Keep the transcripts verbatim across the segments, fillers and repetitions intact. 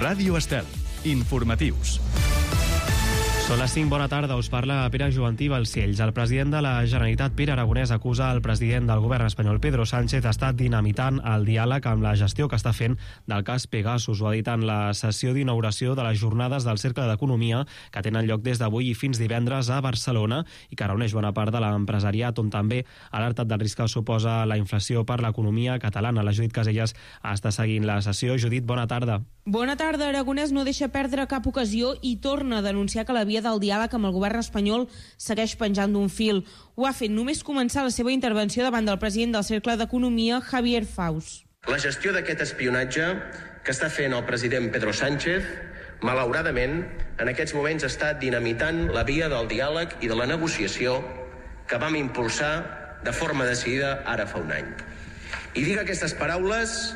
Ràdio Estel. Informatius. Són les cinc, bona tarda, us parla Pere Jovantí Balcells. El president de la Generalitat, Pere Aragonès, acusa el president del govern espanyol, Pedro Sánchez, d'estar dinamitant el diàleg amb la gestió que està fent del cas Pegasus. Ho ha dit en la sessió d'inauguració de les jornades del Cercle d'Economia que tenen lloc des d'avui i fins divendres a Barcelona i que reuneix bona part de l'empresariat, on també ha alertat del risc que suposa la inflació per l'economia catalana. La Judit Casellas està seguint la sessió. Judit, bona tarda. Bona tarda. Aragonès no deixa perdre cap ocasió i torna a denunciar que la via del diàleg amb el govern espanyol segueix penjant d'un fil. Ho ha fet només començar la seva intervenció davant del president del Cercle d'Economia, Javier Faus. La gestió d'aquest espionatge que està fent el president Pedro Sánchez, malauradament, en aquests moments està dinamitant la via del diàleg i de la negociació que vam impulsar de forma decidida ara fa un any. I dic aquestes paraules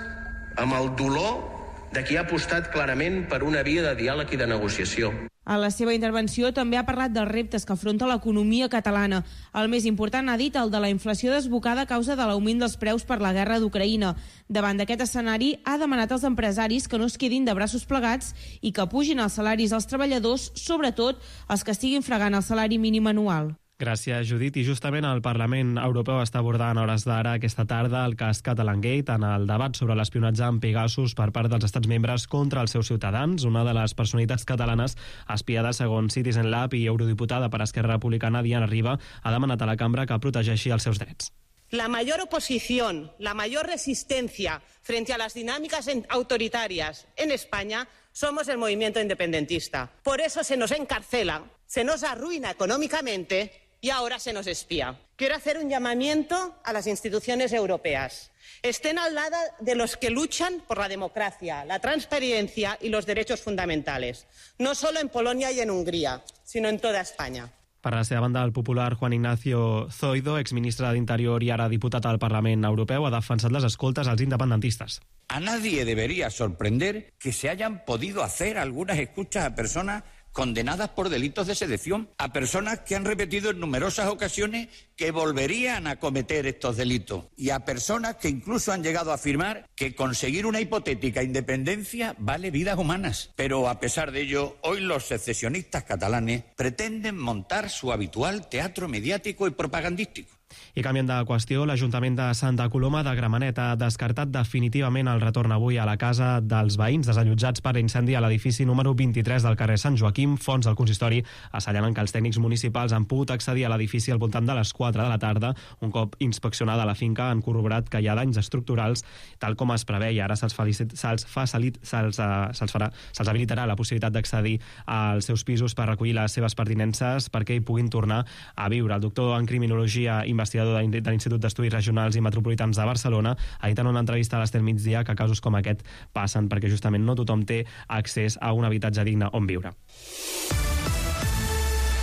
amb el dolor de qui ha apostat clarament per una via de diàleg i de negociació. A la seva intervenció també ha parlat dels reptes que afronta l'economia catalana. El més important, ha dit, el de la inflació desbocada a causa de l'augment dels preus per la guerra d'Ucraïna. Davant d'aquest escenari, ha demanat als empresaris que no es quedin de braços plegats i que pugin els salaris als treballadors, sobretot els que estiguin fregant el salari mínim anual. Gràcies, Judit. I justament el Parlament Europeu està abordant a hores d'ara aquesta tarda el cas Catalangate en el debat sobre l'espionatge amb Pegasus per part dels estats membres contra els seus ciutadans. Una de les personalitats catalanes espiada segons Citizen Lab i eurodiputada per Esquerra Republicana, Diana Riba, ha demanat a la cambra que protegeixi els seus drets. La mayor oposición, la mayor resistencia frente a las dinámicas autoritarias en España somos el movimiento independentista. Por eso se nos encarcela, se nos arruina económicamente y ahora se nos espía. Quiero hacer un llamamiento a las instituciones europeas. Estén al lado de los que luchan por la democracia, la transparencia y los derechos fundamentales. No solo en Polonia y en Hungría, sino en toda España. Per la seva banda, el popular Juan Ignacio Zoido, exministre d'Interior i ara diputat al Parlament Europeu, ha defensat les escoltes als independentistes. A nadie debería sorprender que se hayan podido hacer algunas escuchas a personas condenadas por delitos de sedición, a personas que han repetido en numerosas ocasiones que volverían a cometer estos delitos y a personas que incluso han llegado a afirmar que conseguir una hipotética independencia vale vidas humanas. Pero a pesar de ello, hoy los secesionistas catalanes pretenden montar su habitual teatro mediático y propagandístico. I canviant de qüestió, l'Ajuntament de Santa Coloma de Gramenet ha descartat definitivament el retorn avui a la casa dels veïns desallotjats per incendi a l'edifici número vint-i-tres del carrer Sant Joaquim. Fons del consistori assenyalen que els tècnics municipals han pogut accedir a l'edifici al voltant de les quatre de la tarda. Un cop inspeccionada la finca han corroborat que hi ha danys estructurals, tal com es preveia. Ara se'ls, se'ls, facilit, se'ls, uh, se'ls, farà, se'ls habilitarà la possibilitat d'accedir als seus pisos per recollir les seves pertinences perquè hi puguin tornar a viure. El doctor en criminologia i investigador de l'Institut d'Estudis Regionals i Metropolitans de Barcelona ha dit en una entrevista a l'Estel Migdia que casos com aquest passen perquè justament no tothom té accés a un habitatge digne on viure.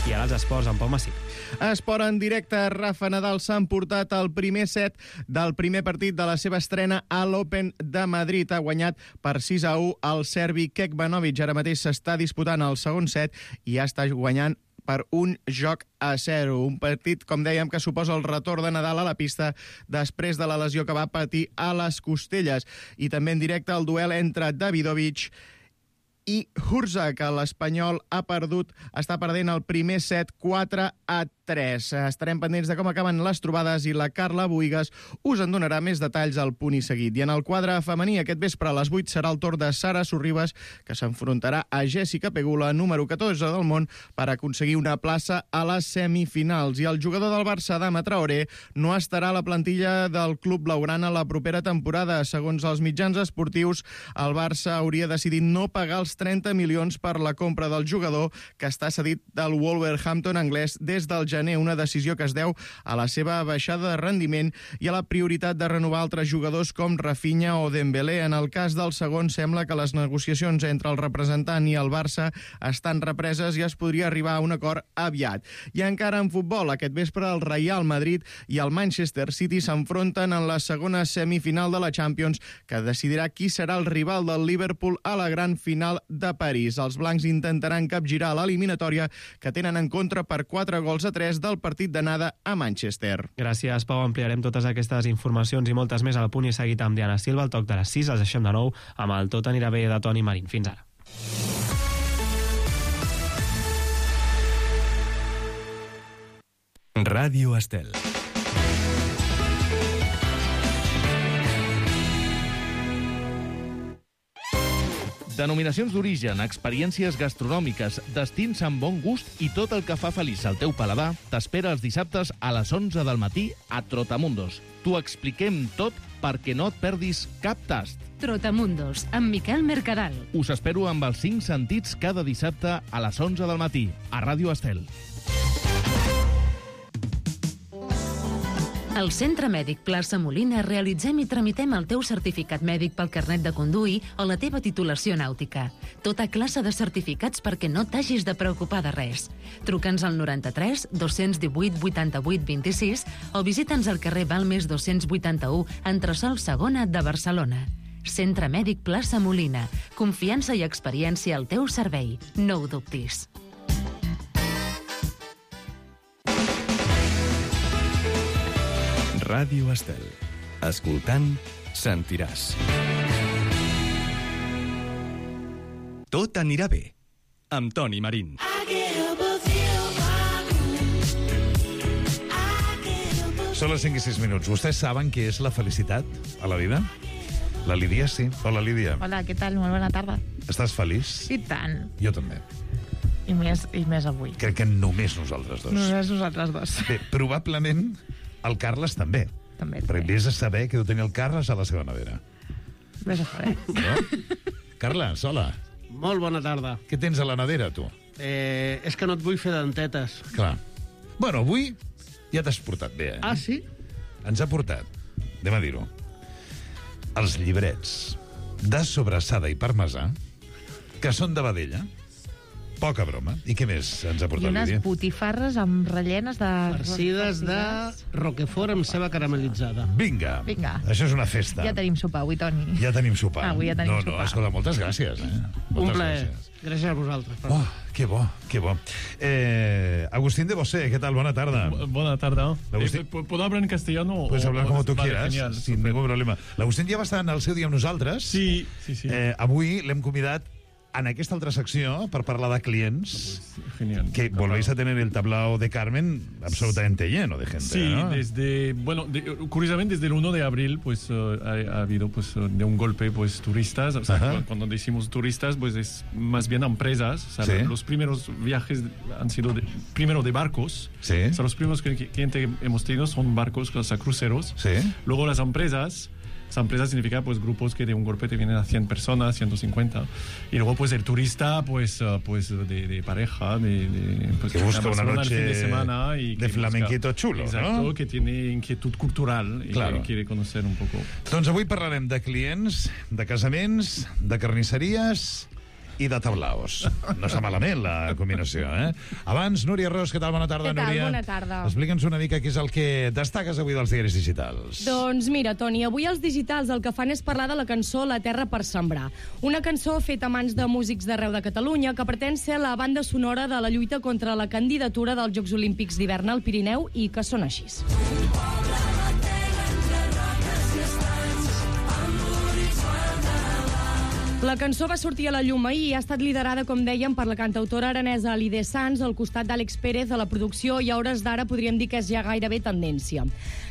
I ara els esports, amb Pau Massip. Esport en directe. Rafa Nadal s'ha emportat el primer set del primer partit de la seva estrena a l'Open de Madrid. Ha guanyat per sis a u el serbi Kekmanovic. Ara mateix s'està disputant el segon set i ja està guanyant per un joc a zero. Un partit, com dèiem, que suposa el retorn de Nadal a la pista després de la lesió que va patir a les costelles. I també en directe el duel entre Davidovich i Hurza, que l'Espanyol ha perdut, està perdent el primer set quatre a tres. Estarem pendents de com acaben les trobades i la Carla Buigas us en donarà més detalls al punt i seguit. I en el quadre femení, aquest vespre a les vuit serà el torn de Sara Sorribas, que s'enfrontarà a Jessica Pegula, número catorze del món, per aconseguir una plaça a les semifinals. I el jugador del Barça, Adama Traoré, no estarà a la plantilla del club blaugrana la propera temporada. Segons els mitjans esportius, el Barça hauria decidit no pagar els trenta milions per la compra del jugador, que està cedit del Wolverhampton anglès des del gener, una decisió que es deu a la seva baixada de rendiment i a la prioritat de renovar altres jugadors com Rafinha o Dembélé. En el cas del segon, sembla que les negociacions entre el representant i el Barça estan represes i es podria arribar a un acord aviat. I encara en futbol, aquest vespre el Real Madrid i el Manchester City s'enfronten en la segona semifinal de la Champions, que decidirà qui serà el rival del Liverpool a la gran final de París. Els blancs intentaran capgirar l'eliminatòria, que tenen en contra per quatre gols a tres del partit d'anada a Manchester. Gràcies, Pau. Ampliarem totes aquestes informacions i moltes més al punt i seguit amb Diana Silva. Al toc de les sis els deixem de nou amb el Tot anirà bé de Toni Marín. Fins ara. Ràdio Estel. Denominacions d'origen, experiències gastronòmiques, destins amb bon gust i tot el que fa feliç al teu paladar t'espera els dissabtes a les onze del matí a Trotamundos. T'ho expliquem tot perquè no et perdis cap tast. Trotamundos, amb Miquel Mercadal. Us espero amb els cinc sentits cada dissabte a les onze del matí, a Ràdio Estel. Al Centre Mèdic Plaça Molina realitzem i tramitem el teu certificat mèdic pel carnet de conduir o la teva titulació nàutica. Tota classe de certificats perquè no t'hagis de preocupar de res. Truca'ns al noranta-tres dos cents divuit vuitanta-vuit vint-i-sis o visita'ns al carrer Balmes dos-cents vuitanta-u, entresòl segona de Barcelona. Centre Mèdic Plaça Molina. Confiança i experiència al teu servei. No ho dubtis. Ràdio Estel. Escoltant, sentiràs. Tot anirà bé. Amb Toni Marín. Són les cinc i sis minuts. Vostès saben què és la felicitat a la vida? La Lídia, sí. Hola, Lídia. Hola, què tal? Molt bona tarda. Estàs feliç? I tant. Jo també. I més, i més avui. Crec que només nosaltres dos. Només nosaltres dos. Bé, probablement el Carles també. També. Perquè vés a saber què deu tenir el Carles a la seva nevera. Vés a saber. No? Carles, hola. Molt bona tarda. Què tens a la nevera, tu? Eh, és que no et vull fer dentetes. Clar. Bueno, avui ja t'has portat bé, eh? Ah, sí? Ens ha portat, anem a dir-ho, els llibrets de sobrassada i parmesà, que són de vedella. Poca broma. I què més ens ha portat, I unes Lídia? botifarres amb rellenes de... Farcides de roquefort amb ceba caramelitzada. Vinga. Vinga. Això és una festa. Ja tenim sopar avui, Toni. Ja tenim sopar. Avui ja tenim no, sopar. No, escolta, moltes gràcies. Eh? Moltes Un plaer. Gràcies. Gràcies a vosaltres. Però... Oh, que bo, que bo. Eh, Agustín de Bosé, ¿qué tal? Buena tarde. Buena tarde. Agustín... Eh, ¿Puedo hablar en castellano? Puedes o, hablar como tú vale, quieras, genial, sin super. ningún problema. L'Agustín ja va estar en el seu dia amb nosaltres. Sí, sí, sí. Eh, avui l'hem convidat en aquesta altra secció per parlar de clients. Pues, genial. Que volvéis a tener el tablao de Carmen absolutamente lleno de gente, Sí, ¿no? desde, bueno, de, curiosamente desde el uno de abril pues uh, ha, ha habido pues uh, de un golpe pues turistas, o sea, Ajá. cuando decimos turistas pues es más bien empresas, o sea, Sí. los primeros viajes han sido de, primero de barcos, Sí. o sea, los primeros clientes que hemos tenido son barcos, o sea, cruceros, Sí. luego las empresas. Esa empresa significa pues grupos que de un golpe te vienen a cien personas, ciento cincuenta. Y luego pues el turista pues, uh, pues de, de pareja, de, de pues, que busca una Barcelona noche el fin de semana y de que flamenquito busca, chulo, exacto, ¿no? que tiene inquietud cultural y Claro. que quiere conocer un poco. Doncs avui parlarem de clients, de casaments, de carnisseries i de tablaos. No està malament la combinació, eh? Abans, Núria Ros, què tal? Bona tarda, Què tal? Núria. Bona tarda. Explica'ns una mica què és el que destaques avui dels diaris digitals. Doncs mira, Toni, avui els digitals el que fan és parlar de la cançó La terra per sembrar. Una cançó feta a mans de músics d'arreu de Catalunya que pretén ser la banda sonora de la lluita contra la candidatura dels Jocs Olímpics d'hivern al Pirineu i que són així. La cançó va sortir a la llum ahir i ha estat liderada, com dèiem, per la cantautora aranesa Alide Sans al costat d'Àlex Pérez a la producció i a hores d'ara podríem dir que és ja gairebé tendència.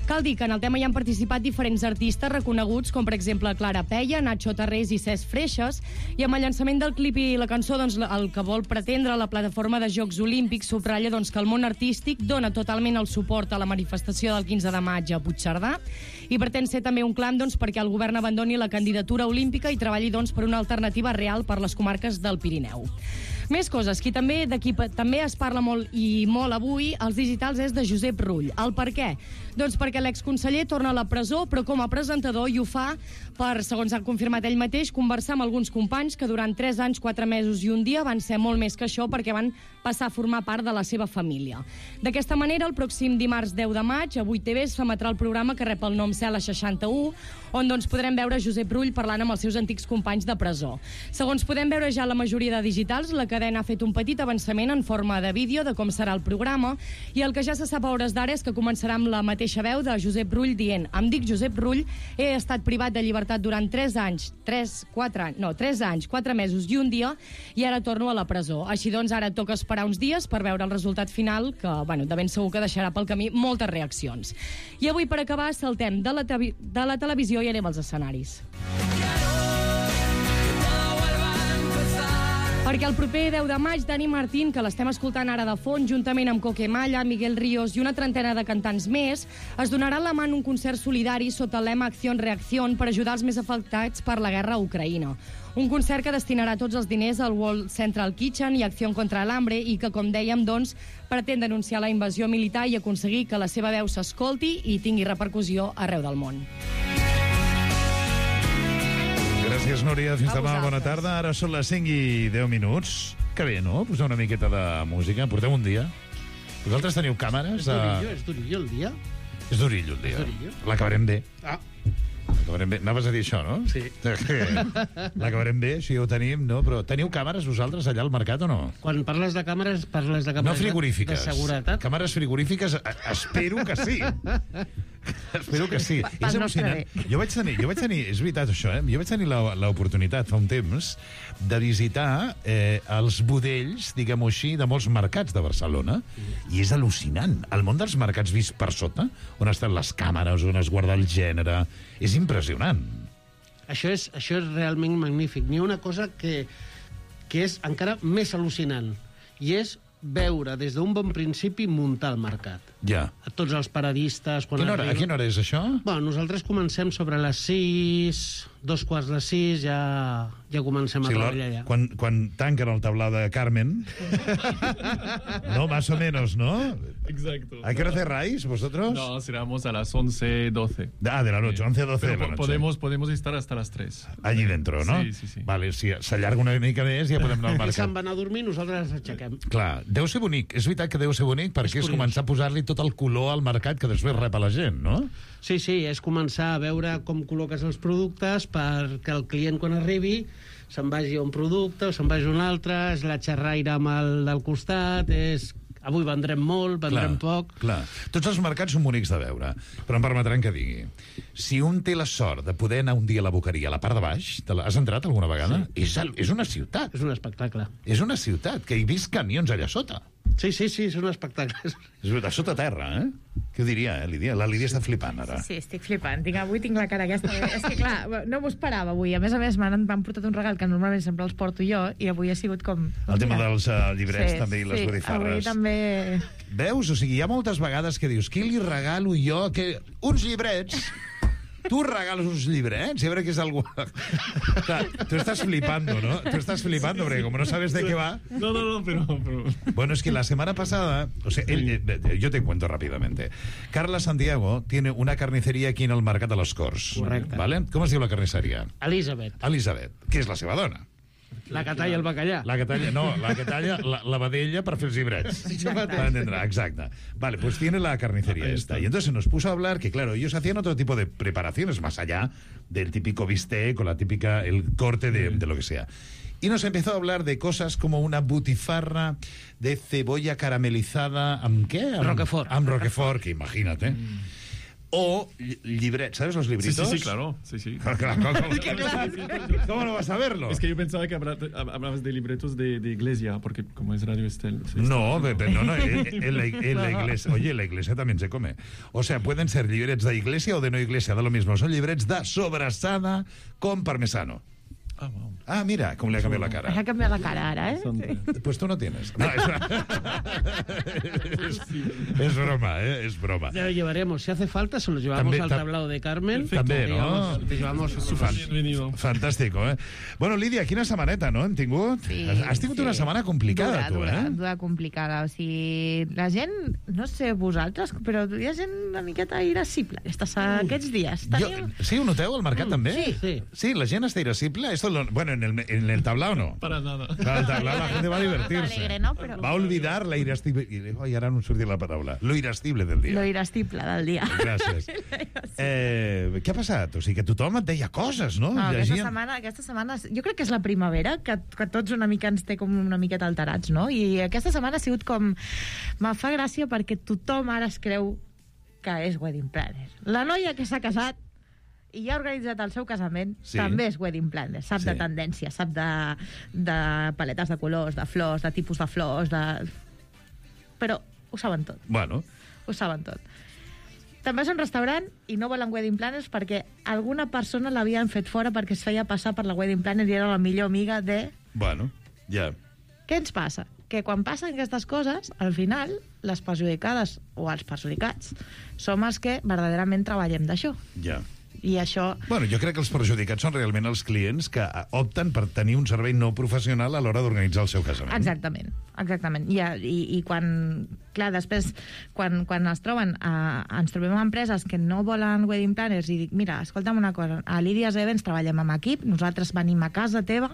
Cal dir que en el tema hi han participat diferents artistes reconeguts, com per exemple Clara Peia, Nacho Tarrés i Cesc Freixes, i amb el llançament del clip i la cançó, doncs, el que vol pretendre la plataforma de Jocs Olímpics subratlla doncs, que el món artístic dona totalment el suport a la manifestació del quinze de maig a Puigcerdà i pretén ser també un clam doncs, perquè el govern abandoni la candidatura olímpica i treballi doncs, per una alternativa real per les comarques del Pirineu. Més coses, qui també, de qui també es parla molt i molt avui, als digitals, és de Josep Rull. El per què? Doncs perquè l'exconseller torna a la presó, però com a presentador, i ho fa per, segons ha confirmat ell mateix, conversar amb alguns companys que durant tres anys, quatre mesos i un dia van ser molt més que això perquè van passar a formar part de la seva família. D'aquesta manera, el pròxim dimarts deu de maig, a vuit T V s'emetrà el programa que rep el nom Cela seixanta-u, on doncs, podrem veure Josep Rull parlant amb els seus antics companys de presó. Segons podem veure ja la majoria de digitals, la cadena ha fet un petit avançament en forma de vídeo de com serà el programa, i el que ja se sap a hores d'ara és que començarà amb la mateixa veu de Josep Rull dient: em dic Josep Rull, he estat privat de llibertat durant tres anys, tres, quatre, no, tres anys, quatre mesos i un dia, i ara torno a la presó. Així doncs, ara toca esperar uns dies per veure el resultat final, que, bueno, de ben segur que deixarà pel camí moltes reaccions. I avui, per acabar, saltem de la, de la televisió i anem als escenaris. Perquè el proper deu de maig, Dani Martín, que l'estem escoltant ara de fons, juntament amb Coquemalla, Miguel Ríos i una trentena de cantants més, es donarà la mà en un concert solidari sota el lema Acción Reacción per ajudar els més afectats per la guerra a Ucraïna. Un concert que destinarà tots els diners al World Central Kitchen i Acción contra l'Hambre i que, com dèiem, doncs, pretén denunciar la invasió militar i aconseguir que la seva veu s'escolti i tingui repercussió arreu del món. Gràcies, Núria. Fins demà. Bona tarda. Ara són les cinc i deu minuts. Que bé, no? Posar una miqueta de música. Porteu un dia. Vosaltres teniu càmeres? És durillo, és durillo el dia. És durillo el dia. És durillo. L'acabarem bé. Ah. L'acabarem bé. Anaves a dir això, no? Sí. L'acabarem bé, això ja ho tenim, no? Però teniu càmeres vosaltres allà al mercat o no? Quan parles de càmeres, parles de càmeres no frigorífiques. de seguretat? Càmeres frigorífiques, espero que sí. Espero que sí. Pa, és emocionant. Jo vaig tenir, jo vaig tenir, és veritat això, eh? Jo vaig tenir l'oportunitat fa un temps de visitar eh, els budells, diguem-ho així, de molts mercats de Barcelona, i és al·lucinant. El món dels mercats vist per sota, on estan les càmeres, on es guarda el gènere, és impressionant. Això és, això és realment magnífic. N'hi ha una cosa que, que és encara més al·lucinant, i és veure des d'un bon principi muntar el mercat. Ja. A tots els paradistes... Quan Quina hora, arriba... A quina hora és això? Bueno, nosaltres comencem sobre les sis, dos quarts de sis, ja, ja comencem a sí, treballar allà. Quan, quan tanquen el tablao de Carmen, no, más o menos, ¿no? Exacto. ¿A qué hora cerráis vosotros? No, cerramos a las once, doce. Ah, de la noche, once a doce de la noche. Podemos, podemos estar hasta las tres. Allí dentro, no? Sí, sí, sí. Vale, si s'allarga una mica més ja podem anar al mercat. Ells se'n van a dormir, nosaltres ens aixequem. Clar, deu ser bonic. És veritat que deu ser bonic perquè és, és començar a posar-li tot el color al mercat que després rep a la gent, no? Sí, sí, és començar a veure com col·loques els productes perquè el client, quan arribi, se'n vagi a un producte o se'n vagi a un altre, és la xerraire amb el del costat, és... Avui vendrem molt, vendrem clar, poc... Clar. Tots els mercats són bonics de veure, però em permetran que digui. Si un té la sort de poder anar un dia a la Boqueria, a la part de baix, te la... has entrat alguna vegada? Sí. És, el... és una ciutat. És un espectacle. És una ciutat, que hi vist camions allà sota. Sí, sí, sí, és un espectacle. És de sota terra, eh? Què ho diria, eh, Lídia? La Lídia està flipant, ara. Sí, sí, estic flipant. Tinc, avui tinc la cara aquesta. És que, clar, no m'ho esperava avui. A més a més, m'han portat un regal que normalment sempre els porto jo, i avui ha sigut com... El tema dels uh, llibrets, sí, també, i les sí, botifarres. Avui també... Veus? O sigui, hi ha moltes vegades que dius, qui li regalo jo? Que... Uns llibrets... Tu regales uns llibrets i a veure què és algú... Tu estàs flipando, ¿no? Tu estàs flipando, porque como no sabes de qué va... No, no, no, pero... pero... Bueno, es que la semana pasada... O sea, él, eh, yo te cuento rápidamente. Carla Santiago tiene una carnicería aquí en el Mercat de les Corts. Correcte. ¿Vale? Com es diu la carnisseria? Elizabeth. Elizabeth, que és la seva dona. La que talla el bacallà. La que talla, no, la que talla la, la vedella per fer els llibrets. Para entender, exacte. Vale, pues tiene la carnicería esta. Y entonces nos puso a hablar que, claro, ellos hacían otro tipo de preparaciones más allá del típico bistec o la típica, el corte de, de lo que sea. Y nos empezó a hablar de cosas como una butifarra de cebolla caramelizada, ¿amb qué? Amb, Roquefort. Amb Roquefort, que imagínate. Mm. O llibrets, ¿sabes los libritos? Sí, sí, sí, claro. Sí, sí. Claro, claro, claro. ¿Cómo no vas a verlo? Es que yo pensaba que hablabas de libretos de, de iglesia, porque como es Radio Estel... No, pero no, no, en, en, la, en la iglesia... Oye, en la iglesia también se come. O sea, pueden ser llibrets de iglesia o de no iglesia, da lo mismo. Son llibrets de sobrassada con parmesano. Ah, wow. Ah, mira, com li ha canviat la cara. Ha canviat la cara ara, eh? Sí. Pues tú no tienes. No, es, es, es broma, ¿eh? Es broma. Ya lo llevaremos. Si hace falta, se lo llevamos también, al tablao de Carmen. També, no? Te llevamos... Fan, fantàstico, eh? Bueno, Lídia, quina setmaneta, no? Hem tingut? Sí, Has tingut sí. una setmana complicada, dura, tu, dura, eh? Dura, complicada. O sigui, la gent, no sé vosaltres, però hi ha gent una miqueta irascible aquests, aquests dies. Jo, sí, ho noteu, al mercat, Mm, també? sí. Sí. Sí, la gent està irascible. He esto, lo, bueno, en el, en el tablao no. Para nada. Para el tablao la gente va a divertirse. Alegre, ¿no? Pero... Va a olvidar la irascible... I ara no em sortia la paraula. Lo irascible del dia. Lo irascible del dia. Gràcies. Eh, què ha passat? O sigui, que tothom et deia coses, no? No, aquesta Llegien... setmana, aquesta setmana, jo crec que és la primavera, que, que tots una mica ens té com una miqueta alterats, no? I aquesta setmana ha sigut com... Me fa gràcia perquè tothom ara es creu que és wedding planner. La noia que s'ha casat i ja ha organitzat el seu casament, sí. també és wedding planner, sap sí. de tendència, sap de, de paletes de colors, de flors, de tipus de flors, de... però ho saben tot. Bueno. Ho saben tot. Te'n vas a un restaurant i no volen wedding planners perquè alguna persona l'havien fet fora perquè es feia passar per la wedding planner i era la millor amiga de... Bueno, ja. Què ens passa? Que quan passen aquestes coses, al final, les perjudicades o els perjudicats som els que verdaderament treballem d'això. Ja. I això... Bueno, jo crec que els perjudicats són realment els clients que opten per tenir un servei no professional a l'hora d'organitzar el seu casament. Exactament, exactament. I, i, i quan... Clar, després, quan, quan es troben... A, ens trobem amb empreses que no volen wedding planners i dic, mira, escolta'm una cosa, a Lídies Events treballem amb equip, nosaltres venim a casa teva,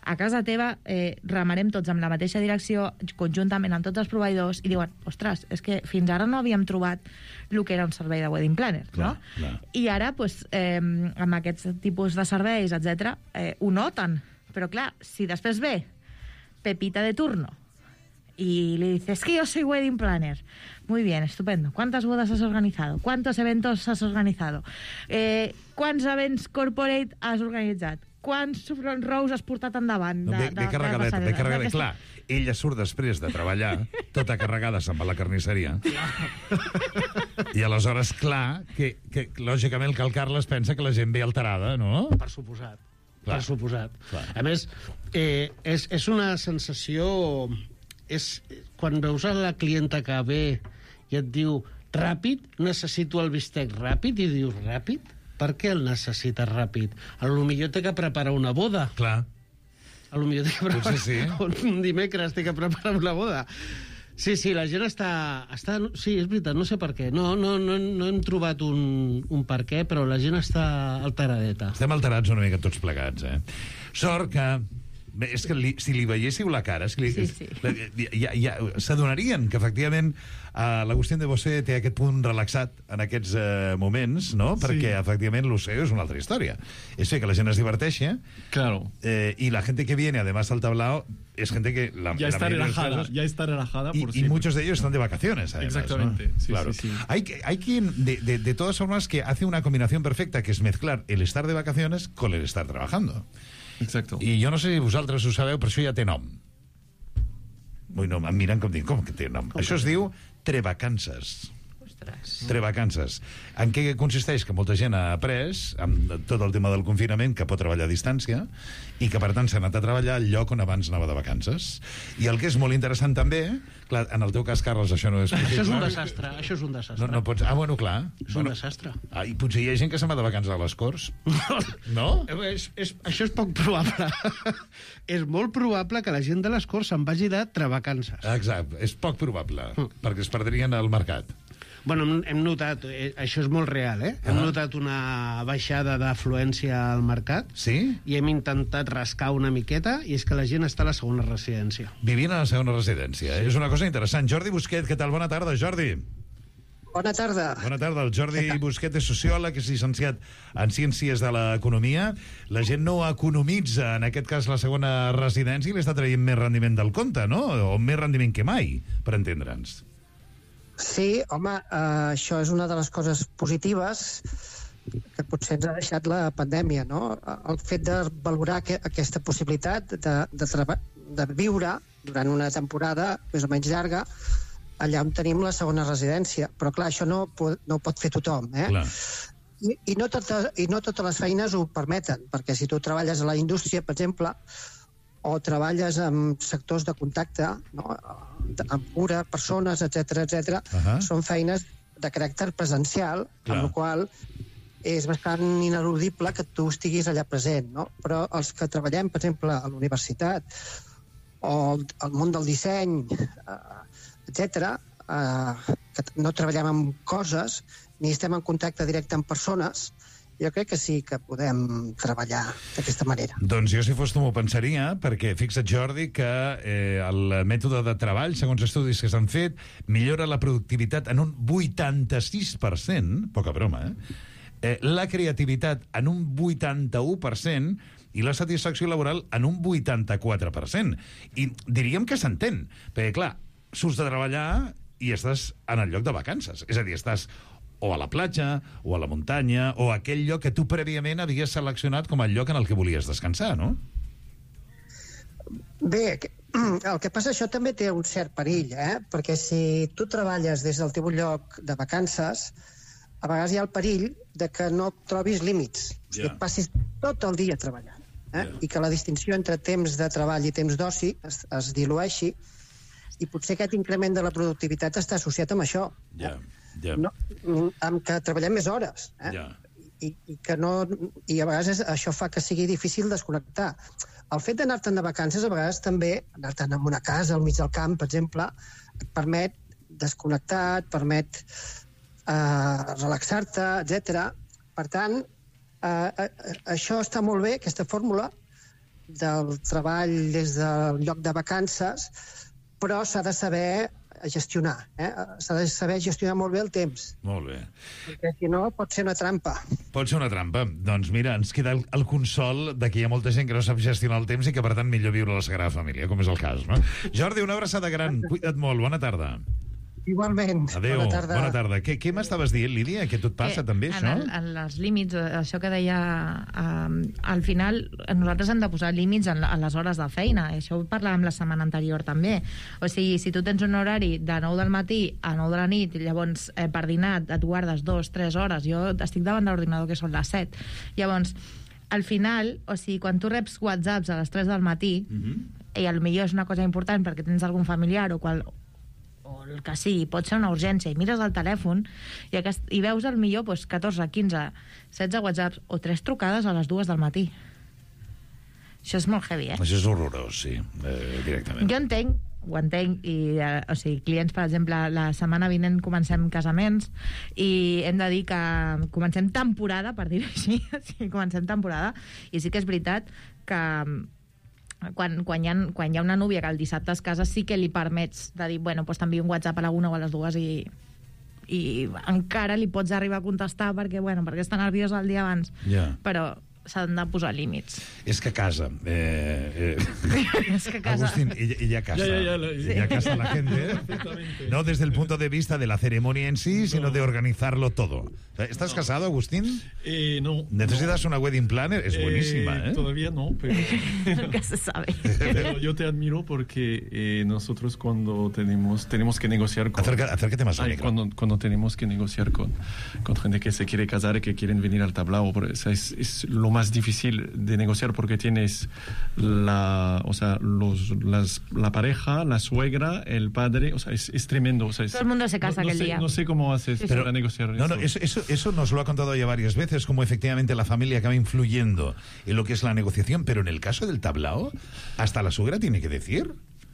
a casa teva eh, remarem tots amb la mateixa direcció, conjuntament amb tots els proveïdors, i diuen, ostres, és que fins ara no havíem trobat el que era un servei de wedding planner, clar, no? Clar. I ara, pues, eh, amb aquests tipus de serveis, etcètera, eh, ho noten. Però clar, si després ve Pepita de turno y le dices, es que yo soy wedding planner. Muy bien, estupendo. ¿Cuántas bodas has organizado? ¿Cuántos eventos has organizado? Eh, ¿Quants events corporate has organitzat? Quants front rows has portat endavant? De, no, ve, de, ve carregadeta, ve carregadeta. Clar, ella surt després de treballar, tota carregada, se'n va a la carnisseria. I aleshores, clar, que, que lògicament el Cal Carles pensa que la gent ve alterada, no? Per suposat. Clar. Per suposat. Clar. A més, eh, és, és una sensació... És, quan veus a la clienta que ve i et diu ràpid, necessito el bistec ràpid, i dius ràpid? Per què el necessites ràpid? A lo millor té que preparar una boda. Clar. A lo millor té que preparar... Sí. Un dimecres té que preparar una boda. Sí, sí, la gent està... està... Sí, és veritat, no sé per què. No, no, no, no hem trobat un, un per què, però la gent està alteradeta. Estem alterats una mica tots plegats, eh? Sort que... Bé, és que li, si li veiéssiu la cara, si li, sí, sí. La, ja, ja, s'adonarien que, efectivament, uh, l'Agustín de Bossé té aquest punt relaxat en aquests uh, moments, no? Sí. Perquè, efectivament, l'O C E O és una altra història. És fer que la gent es diverteixi, claro. eh, y la gente que viene, además, al tablao, es gente que... La, ya, la está relajada, casos, ya está relajada, y, por y muchos de ellos están de vacaciones, además. Exactamente, ¿no? sí, Claro. sí, sí. Hay, hay quien, de, de, de todas formas, que hace una combinación perfecta, que es mezclar el estar de vacaciones con el estar trabajando. Exacto. I jo no sé si vosaltres ho sabeu, però això ja té nom. Ui, no, em miren com dic, com que té nom? Com això es diu trevacances. Ostres. Trevacances. En què consisteix? Que molta gent ha après, amb tot el tema del confinament, que pot treballar a distància, i que, per tant, s'ha anat a treballar al lloc on abans anava de vacances. I el que és molt interessant també, clar, en el teu cas, Carles, això no és possible. Això és un desastre, això és un desastre. No, no pots... Ah, bueno, clar. És bueno, un desastre. Ah, i potser hi ha gent que se'n va de vacances a les Corts. No? És, és, això és poc probable. És molt probable que la gent de les Corts se'n vagi de trevacances. Exacte, és poc probable, mm. perquè es perdrien al mercat. Bueno, hem notat, eh, això és molt real, eh? Hem ah. notat una baixada d'afluència al mercat. Sí? I hem intentat rascar una miqueta, i és que la gent està a la segona residència. Vivint a la segona residència. Sí. És una cosa interessant. Jordi Busquet, què tal? Bona tarda, Jordi. Bona tarda. Bona tarda. El Jordi Busquet és sociòleg, és llicenciat en Ciències de l'Economia. La gent no economitza, en aquest cas, la segona residència, i li està traient més rendiment del compte, no? O més rendiment que mai, per entendre'ns. Sí, home, eh, això és una de les coses positives que potser ens ha deixat la pandèmia, no? El fet de valorar que, aquesta possibilitat de, de, de viure durant una temporada més o menys llarga allà on tenim la segona residència. Però, clar, això no, no ho pot fer tothom, eh? Clar. I, i, no tota, I no totes les feines ho permeten, perquè si tu treballes a la indústria, per exemple, o treballes en sectors de contacte, no? Amb cura, persones, etcètera, etcètera, uh-huh. són feines de caràcter presencial, clar. Amb la qual és bastant ineludible que tu estiguis allà present, no? Però els que treballem, per exemple, a la universitat o al món del disseny, etcètera, eh, que no treballem amb coses ni estem en contacte directe amb persones, jo crec que sí que podem treballar d'aquesta manera. Doncs jo, si fos tu, m'ho pensaria, perquè fixa't, Jordi, que eh, el mètode de treball, segons estudis que s'han fet, millora la productivitat en un vuitanta-sis per cent, poca broma, eh? eh la creativitat en un vuitanta-u per cent i la satisfacció laboral en un vuitanta-quatre per cent. I diríem que s'entén, perquè, clar, surts de treballar i estàs en el lloc de vacances. És a dir, estàs o a la platja, o a la muntanya, o a aquell lloc que tu prèviament havies seleccionat com el lloc en el que volies descansar, no? Bé, el que passa, això també té un cert perill, eh? Perquè si tu treballes des del teu lloc de vacances, a vegades hi ha el perill de que no trobis límits, o sigui, que passis tot el dia treballant, eh? Yeah. I que la distinció entre temps de treball i temps d'oci es, es dilueixi, i potser aquest increment de la productivitat està associat amb això. Ja, yeah. yeah. No, amb que treballem més hores, eh? Yeah. I, i que no, i a vegades això fa que sigui difícil desconnectar. El fet d'anar-te'n de vacances, a vegades també, anar-te'n a una casa al mig del camp, per exemple, et permet desconnectar, et permet eh, relaxar-te, etcètera. Per tant, eh, això està molt bé, aquesta fórmula del treball des del lloc de vacances, però s'ha de saber gestionar, eh? S'ha de saber gestionar molt bé el temps. Molt bé. Perquè si no pot ser una trampa. Pot ser una trampa. Doncs mira, ens queda el, el consol de que hi ha molta gent que no sap gestionar el temps i que per tant millor viure la Sagrada Família, com és el cas, no? Jordi, una abraçada gran. Cuida't molt. Bona tarda. Igualment. Adéu. Bona tarda. Bona tarda. Què, què m'estaves dient, Lídia? Que tot passa que també, en això? el, en els límits, això que deia, um, al final nosaltres hem de posar límits en, en les hores de feina. Això ho parlàvem la setmana anterior també. O sigui, si tu tens un horari de nou del matí a nou de la nit, llavors eh, per dinar et guardes dos, tres hores. Jo estic davant de l'ordinador que són les set. Llavors, al final, o sigui, quan tu reps whatsapps a les tres del matí, mm-hmm. i potser és una cosa important perquè tens algun familiar o qual o el que sigui, pot ser una urgència, i mires el telèfon i, aquest, i veus al millor pues, catorze, quinze, setze whatsapps o tres trucades a les dues del matí. Això és molt heavy, eh? Això és horrorós, sí, eh, directament. Jo entenc, ho entenc, i, eh, o sigui, clients, per exemple, la setmana vinent comencem casaments i hem de dir que comencem temporada, per dir-ho així, o sigui, comencem temporada, i sí que és veritat que Quan, quan, hi ha, quan hi ha una núvia que el dissabte es casa sí que li permets de dir, bueno, doncs t'envio un WhatsApp a la una o a les dues i, i encara li pots arribar a contestar perquè, bueno, perquè està nerviós el dia abans. Yeah. Però s'han de posar límits. És que casa. Eh, eh. Es que casa. Agustín, ella, ella casa. Ya, ya, ya, sí. Ella casa a la gente. No desde el punto de vista de la ceremonia en sí, no. sino de organizarlo todo. ¿Estás no. casado, Agustín? Eh, no. ¿Necesitas no. una wedding planner? Es eh, buenísima, ¿eh? Todavía no, pero... Nunca se sabe. Pero yo te admiro porque eh, nosotros cuando tenemos, tenemos que negociar con... Acerca, acércate más al micro. Cuando, cuando tenemos que negociar con, con gente que se quiere casar y que quieren venir al tablao, o sea, es, es lo más difícil de negociar porque tienes la, o sea, los, las, la pareja, la suegra, el padre, o sea, es, es tremendo. O sea, es, todo el mundo se casa no, no aquel sé, día. No sé cómo haces sí, para sí. negociar no, eso. No, eso, eso, eso nos lo ha contado ya varias veces, como efectivamente la familia acaba influyendo en lo que es la negociación, pero en el caso del tablao, hasta la suegra tiene que decir...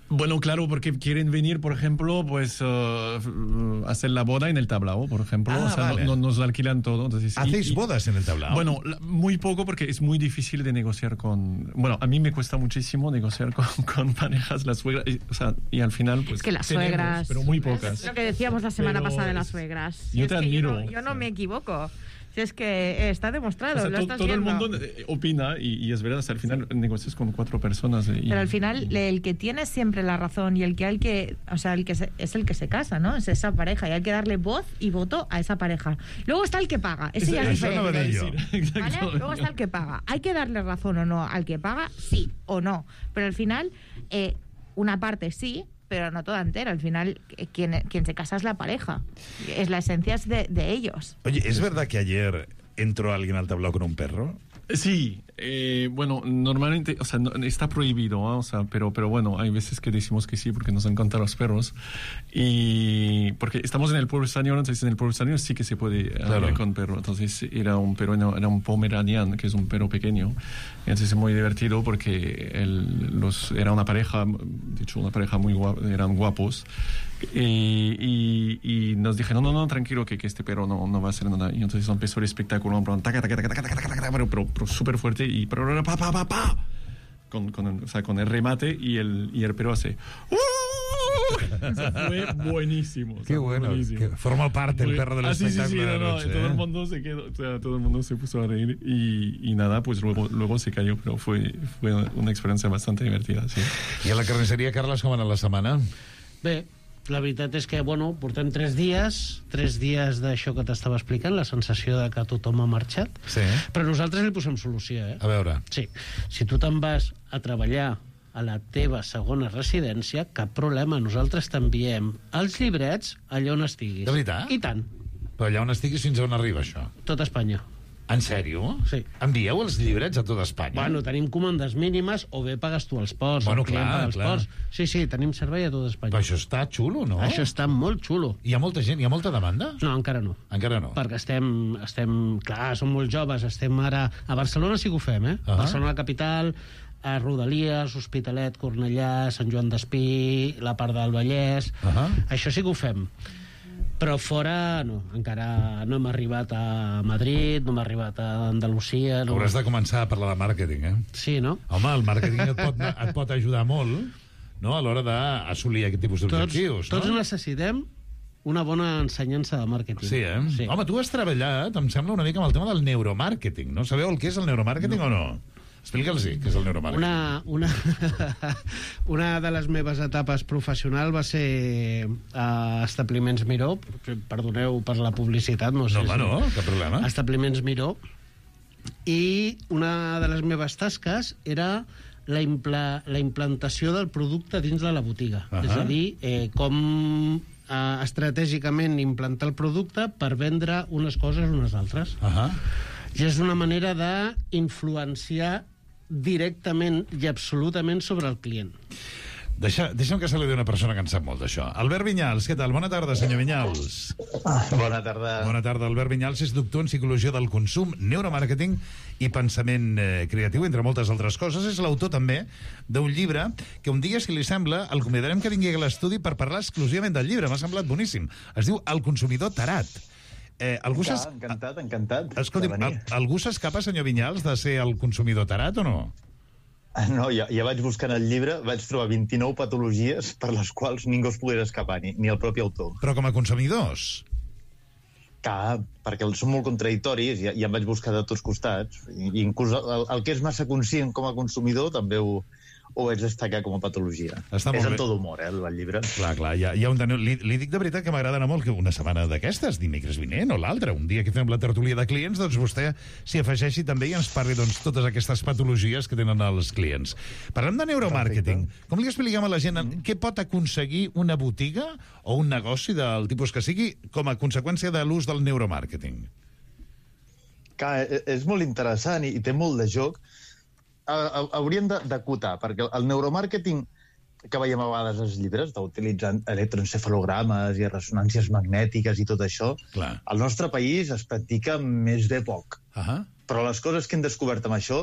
Bueno, claro, porque quieren venir, por ejemplo, pues uh, hacer la boda en el tablao, por ejemplo. Ah, o sea, vale. no, no, nos alquilan todo. Entonces, ¿Hacéis y, y, bodas en el tablao? Bueno, muy poco porque es muy difícil de negociar con... Bueno, a mí me cuesta muchísimo negociar con, con parejas, las suegras. Y, o sea, y al final, pues... Es que las tenemos, suegras... pero muy pocas. Es lo que decíamos la semana pero pasada de es, las suegras. Yo es te que admiro. Yo no, yo no me equivoco. Si es que está demostrado, o sea, lo to, estás todo viendo. el mundo opina y, y es verdad, o sea, al final negocias con cuatro personas. Y, Pero al final y... el que tiene siempre la razón y el que hay que, o sea, el que se, es el que se casa, ¿no? Es esa pareja y hay que darle voz y voto a esa pareja. Luego está el que paga, ese eso, ya es eso diferente. No ¿Vale? Luego está el que paga. Hay que darle razón o no al que paga, sí o no. Pero al final eh, una parte sí, pero no toda entera. Al final, quien, quien se casa es la pareja. Es la esencia es de, de ellos. Oye, ¿es verdad que ayer entró alguien al tablao con un perro? Sí, Eh, bueno, normalmente, o sea, no, está prohibido, ¿eh? O sea, pero, pero bueno, hay veces que decimos que sí porque nos encantan los perros. Y porque estamos en el pueblo español, entonces en el pueblo español sí que se puede claro. hablar con perro. Entonces era un perro, era un Pomeranian, que es un perro pequeño. Entonces es muy divertido porque el, los, era una pareja, de hecho una pareja muy guapa, eran guapos. Y, y, y nos dijeron, no, no, no, tranquilo, que, que este perro no, no va a hacer nada. Y entonces empezó el espectáculo, en plan, taca, taca, taca, taca, taca, taca, taca, pero, pero, pero súper fuerte, y pero, pa, pa, pa, pa, con, con, o sea, con el remate, y el, y el perro hace... Eso fue buenísimo. Qué bueno, buenísimo. Que forma parte el perro del ah, sí, espectáculo sí, sí, de la no, noche. no, ¿eh? todo el mundo se quedó, o sea, todo el mundo se puso a reír, y, y nada, pues luego, luego se cayó, pero fue, fue una experiencia bastante divertida, sí. I a la carnisseria, Carles, com va anar la setmana? Bé, la veritat és que, bueno, portem tres dies, tres dies d'això que t'estava explicant, la sensació de que tothom ha marxat, sí. Però nosaltres li posem solució, eh? A veure. Sí, si tu te'n vas a treballar a la teva segona residència, cap problema, nosaltres t'enviem els llibrets allà on estiguis. De veritat? I tant. Però allà on estiguis, fins on arriba això? Tot Espanya. En sèrio? Sí. Envieu els llibrets a tot Espanya? Bueno, tenim comandes mínimes, o bé pagues tu els ports, bueno, el client clar, paga els clar. ports. Sí, sí, tenim servei a tot Espanya. Però això està xulo, no? Això està molt xulo. Hi ha molta gent, hi ha molta demanda? No, encara no. Encara no. Perquè estem, estem clar, som molt joves, estem ara... A Barcelona sí que ho fem, eh? Uh-huh. Barcelona capital, a Rodalies, Hospitalet, Cornellà, Sant Joan d'Espí, la part del Vallès... Uh-huh. Això sí que ho fem. Però fora, no, encara no hem arribat a Madrid, no hem arribat a Andalusia... No. Hauràs de començar a parlar de màrqueting, eh? Sí, no? Home, el màrqueting et pot, et pot ajudar molt, no?, a l'hora d'assolir aquest tipus d'objectius, tots, no? Tots necessitem una bona ensenyança de màrqueting. Sí, eh? Sí. Home, tu has treballat, em sembla, una mica amb el tema del neuromàrqueting, no? Sabeu el que és el neuromàrqueting no. o no? Explica'ls què és el neuromàrqueting. Una, una, una de les meves etapes professionals va ser a Establiments Miró. Perdoneu per la publicitat. No, sé no, home, no, cap problema. Establiments Miró. I una de les meves tasques era la, impla, la implantació del producte dins de la botiga. Uh-huh. És a dir, eh, com eh, estratègicament implantar el producte per vendre unes coses o unes altres. Uh-huh. I és una manera d'influenciar directament i absolutament sobre el client. Deixa, deixa'm que saludi una persona que en sap molt d'això. Albert Vinyals, què tal? Bona tarda, senyor Vinyals. Ah, bona tarda. Bona tarda. Albert Vinyals és doctor en Psicologia del Consum, Neuromàrqueting i Pensament eh, Creatiu, entre moltes altres coses. És l'autor també d'un llibre que un dia, si li sembla, el convidarem que vingui a l'estudi per parlar exclusivament del llibre. M'ha semblat boníssim. Es diu El consumidor tarat. Eh, algú Clar, encantat, encantat. Escolti'm, al, algú s'escapa, senyor Vinyals, de ser el consumidor tarat o no? No, ja, ja vaig buscant el llibre, vaig trobar vint-i-nou patologies per les quals ningú es pogués escapar, ni, ni el propi autor. Però com a consumidors? Clar, perquè són molt contradictoris i ja, ja em vaig buscar de tots costats. I, inclús el, el que és massa conscient com a consumidor també ho, ho vaig destacar com a patologia. Està és molt en bé. tot humor, eh, el llibre. Clar, clar, ja, ja un teniu... li, li dic de veritat que m'agrada molt que una setmana d'aquestes, dimecres vinent o l'altra, un dia que fem la tertúlia de clients, doncs vostè s'hi afegeixi també i ens parli doncs, totes aquestes patologies que tenen els clients. Parlem de neuromàrqueting. Com li expliquem a la gent mm. què pot aconseguir una botiga o un negoci del tipus que sigui com a conseqüència de l'ús del neuromàrqueting? Clar, és molt interessant i, i té molt de joc. Hauríem d'acotar, perquè el neuromàrqueting que veiem a vegades als llibres, d'utilitzar electroencefalogrames i ressonàncies magnètiques i tot això, clar, al nostre país es practica més bé poc. Uh-huh. Però les coses que hem descobert amb això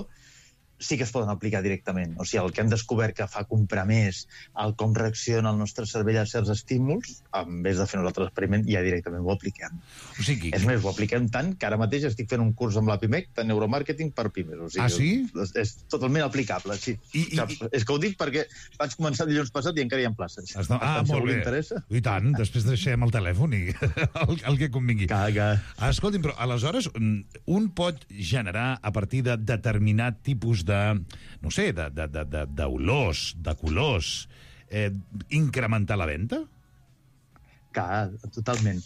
sí que es poden aplicar directament. O sigui, el que hem descobert que fa comprar més, el com reacciona el nostre cervell a certs estímuls, en vez de fer nosaltres l'experiment, ja directament ho apliquem. O sigui, és més, ho apliquem tant que ara mateix estic fent un curs amb la Pimec de neuromàrqueting per pimes. O sigui, ah, sí? És, és totalment aplicable, sí. I, i, i... És que ho dic perquè vaig començar dilluns passat i encara hi ha places. Està... Ah, molt bé. I tant, després deixem el telèfon i el, el que convingui. Caga. Ah, escolti'm, però aleshores un pot generar a partir de determinat tipus de de, no sé, d'olors, de, de, de colors, eh, incrementar la venda? Clar, totalment.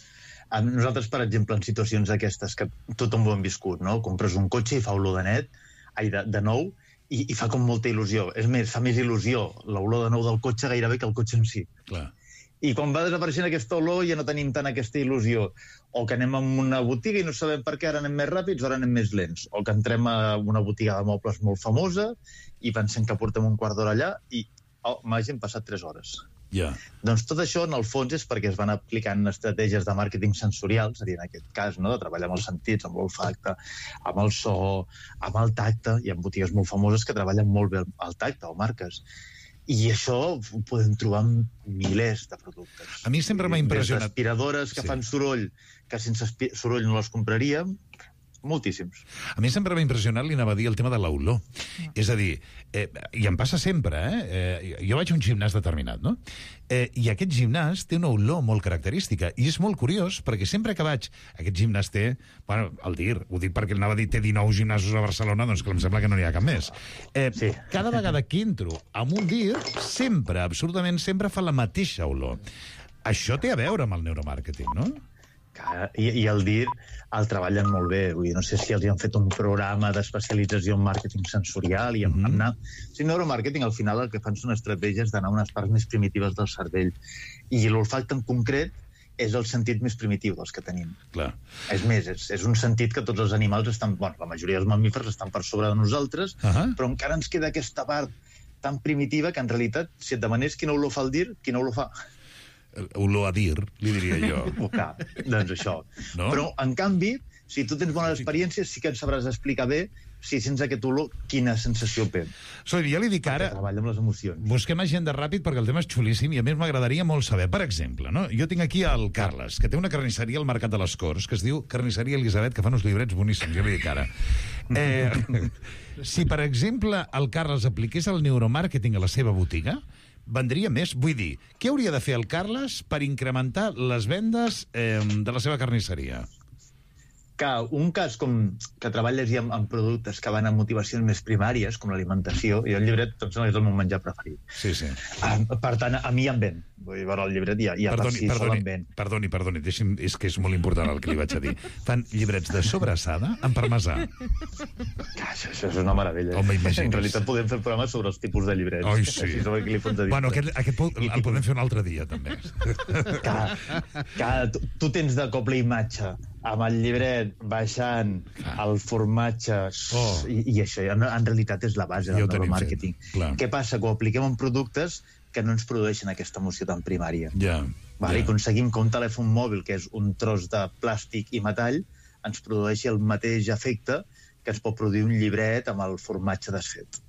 Nosaltres, per exemple, en situacions d'aquestes que tothom ho hem viscut, no? Compres un cotxe i fa olor de net, ai, de, de nou, i, i fa com molta il·lusió. És més, fa més il·lusió l'olor de nou del cotxe gairebé que el cotxe en si. Clar. I quan va desapareixent aquesta olor ja no tenim tant aquesta il·lusió. O que anem a una botiga i no sabem per què ara anem més ràpids o ara anem més lents. O que entrem a una botiga de mobles molt famosa i pensem que portem un quart d'hora allà i, oh, m'hagin passat tres hores. Ja. Doncs tot això, en el fons, és perquè es van aplicant estratègies de màrqueting sensorial, seria en aquest cas, no?, de treballar amb els sentits, amb l'olfacte, amb el so, amb el tacte. Hi ha botigues molt famoses que treballen molt bé el tacte, o marques. I això ho podem trobar en milers de productes. A mi sempre m'ha impressionat... Des d'aspiradores que sí. fan soroll, que sense soroll no les compraríem, moltíssims. A mi sempre m'ha impressionat, li anava a dir, el tema de l'olor. Mm. És a dir, eh, i em passa sempre, eh? eh? Jo vaig a un gimnàs determinat, no? Eh, I aquest gimnàs té una olor molt característica, i és molt curiós, perquè sempre que vaig... Aquest gimnàs té... Bueno, el dir, ho dic perquè anava a dir té dinou gimnasos a Barcelona, doncs que em sembla que no n'hi ha cap més. Eh, sí. Cada vegada que entro amb un dir, sempre, absolutament sempre, fa la mateixa olor. Això té a veure amb el neuromàrqueting, no? I, i el dir el treballen molt bé. Vull dir, no sé si els han fet un programa d'especialització en màrqueting sensorial i en, mm-hmm. anar... O sigui, neuromàrqueting al final el que fan són estratègies d'anar a unes parts més primitives del cervell. I l'olfacte en concret és el sentit més primitiu dels que tenim. Clar. És més, és, és un sentit que tots els animals estan... Bueno, la majoria dels mamífers estan per sobre de nosaltres, uh-huh. però encara ens queda aquesta part tan primitiva que en realitat, si et demanés quina olor fa el dir, quina olor fa? Olor a dir, li diria jo. Oh, clar, doncs això. No? Però, en canvi, si tu tens bones experiències, sí que et sabràs explicar bé si sents aquest olor, quina sensació té. Soy, ja li dic ara... Treballa amb les emocions. Busquem agenda ràpid perquè el tema és xulíssim i a més m'agradaria molt saber. Per exemple, no? Jo tinc aquí el Carles, que té una carnisseria al Mercat de les Corts, que es diu Carnisseria Elisabet, que fa uns llibrets boníssims, ja li dic ara. Eh, si, per exemple, el Carles apliqués el neuromàrqueting a la seva botiga, vendria més? Vull dir, què hauria de fer el Carles per incrementar les vendes eh, de la seva carnisseria? Que un cas com que treballes ja amb, amb productes que van a motivacions més primàries, com l'alimentació, i el llibret doncs, és el meu menjar preferit. Sí, sí. Ah, per tant, a mi em ven. Vull dir, veure el llibret ja, ja perdoni, per si perdoni, sol em ven. Perdoni, perdoni, deixi'm, és que és molt important el que li vaig a dir. Fan llibrets de sobrassada amb parmesà. Això, això és una meravella. Home, imagines. En realitat podem fer programes sobre els tipus de llibrets. Oi, sí. Així sobre què li fots a dir. Bueno, aquest, aquest el, el podem fer un altre dia, també. Que, que tu, tu tens de coble imatge amb el llibret baixant el formatge oh. i, i això en, en realitat és la base del neuromàrqueting. Què passa? Que ho apliquem en productes que no ens produeixen aquesta emoció tan primària. Ja, vale? ja. I aconseguim que un telèfon mòbil, que és un tros de plàstic i metall, ens produeixi el mateix efecte que ens pot produir un llibret amb el formatge desfet.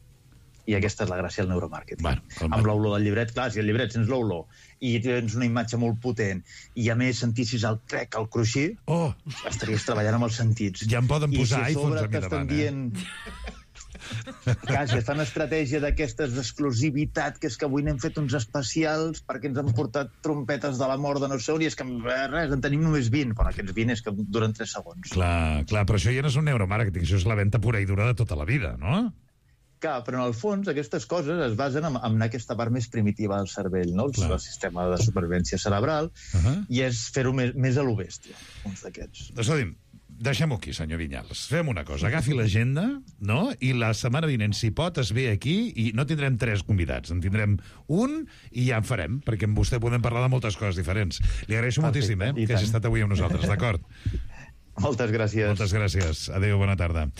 I aquesta és la gràcia del neuromàrqueting. Bueno, el... Amb l'olor del llibret, clar, si el llibret sents l'olor i tens una imatge molt potent i a més sentissis el crec, el cruixir, oh. estaries treballant amb els sentits. Ja em poden posar si iPhones a mi davant, dient... Clar, si fan estratègia d'aquestes d'exclusivitat, que és que avui n'hem fet uns especials perquè ens han portat trompetes de la mort de no sé on, i és que res, en tenim només vint. Bueno, aquests vint és que duren tres segons. Clar, clar, però això ja no és un neuromàrqueting, això és la venda pura i dura de tota la vida, no? Clar, però en el fons aquestes coses es basen en, en aquesta part més primitiva del cervell, no? El, el sistema de supervivència cerebral, uh-huh. i és fer-ho més, més a lo bèstia, uns d'aquests. Escolti'm, deixem-ho aquí, senyor Vinyals. Fem una cosa, agafi l'agenda, no? I la setmana vinent, si pot, es ve aquí i no tindrem tres convidats, en tindrem un i ja en farem, perquè amb vostè podem parlar de moltes coses diferents. Li agraeixo moltíssim, eh, que hagi estat avui amb nosaltres, d'acord? Moltes gràcies. Moltes gràcies. Adéu, bona tarda.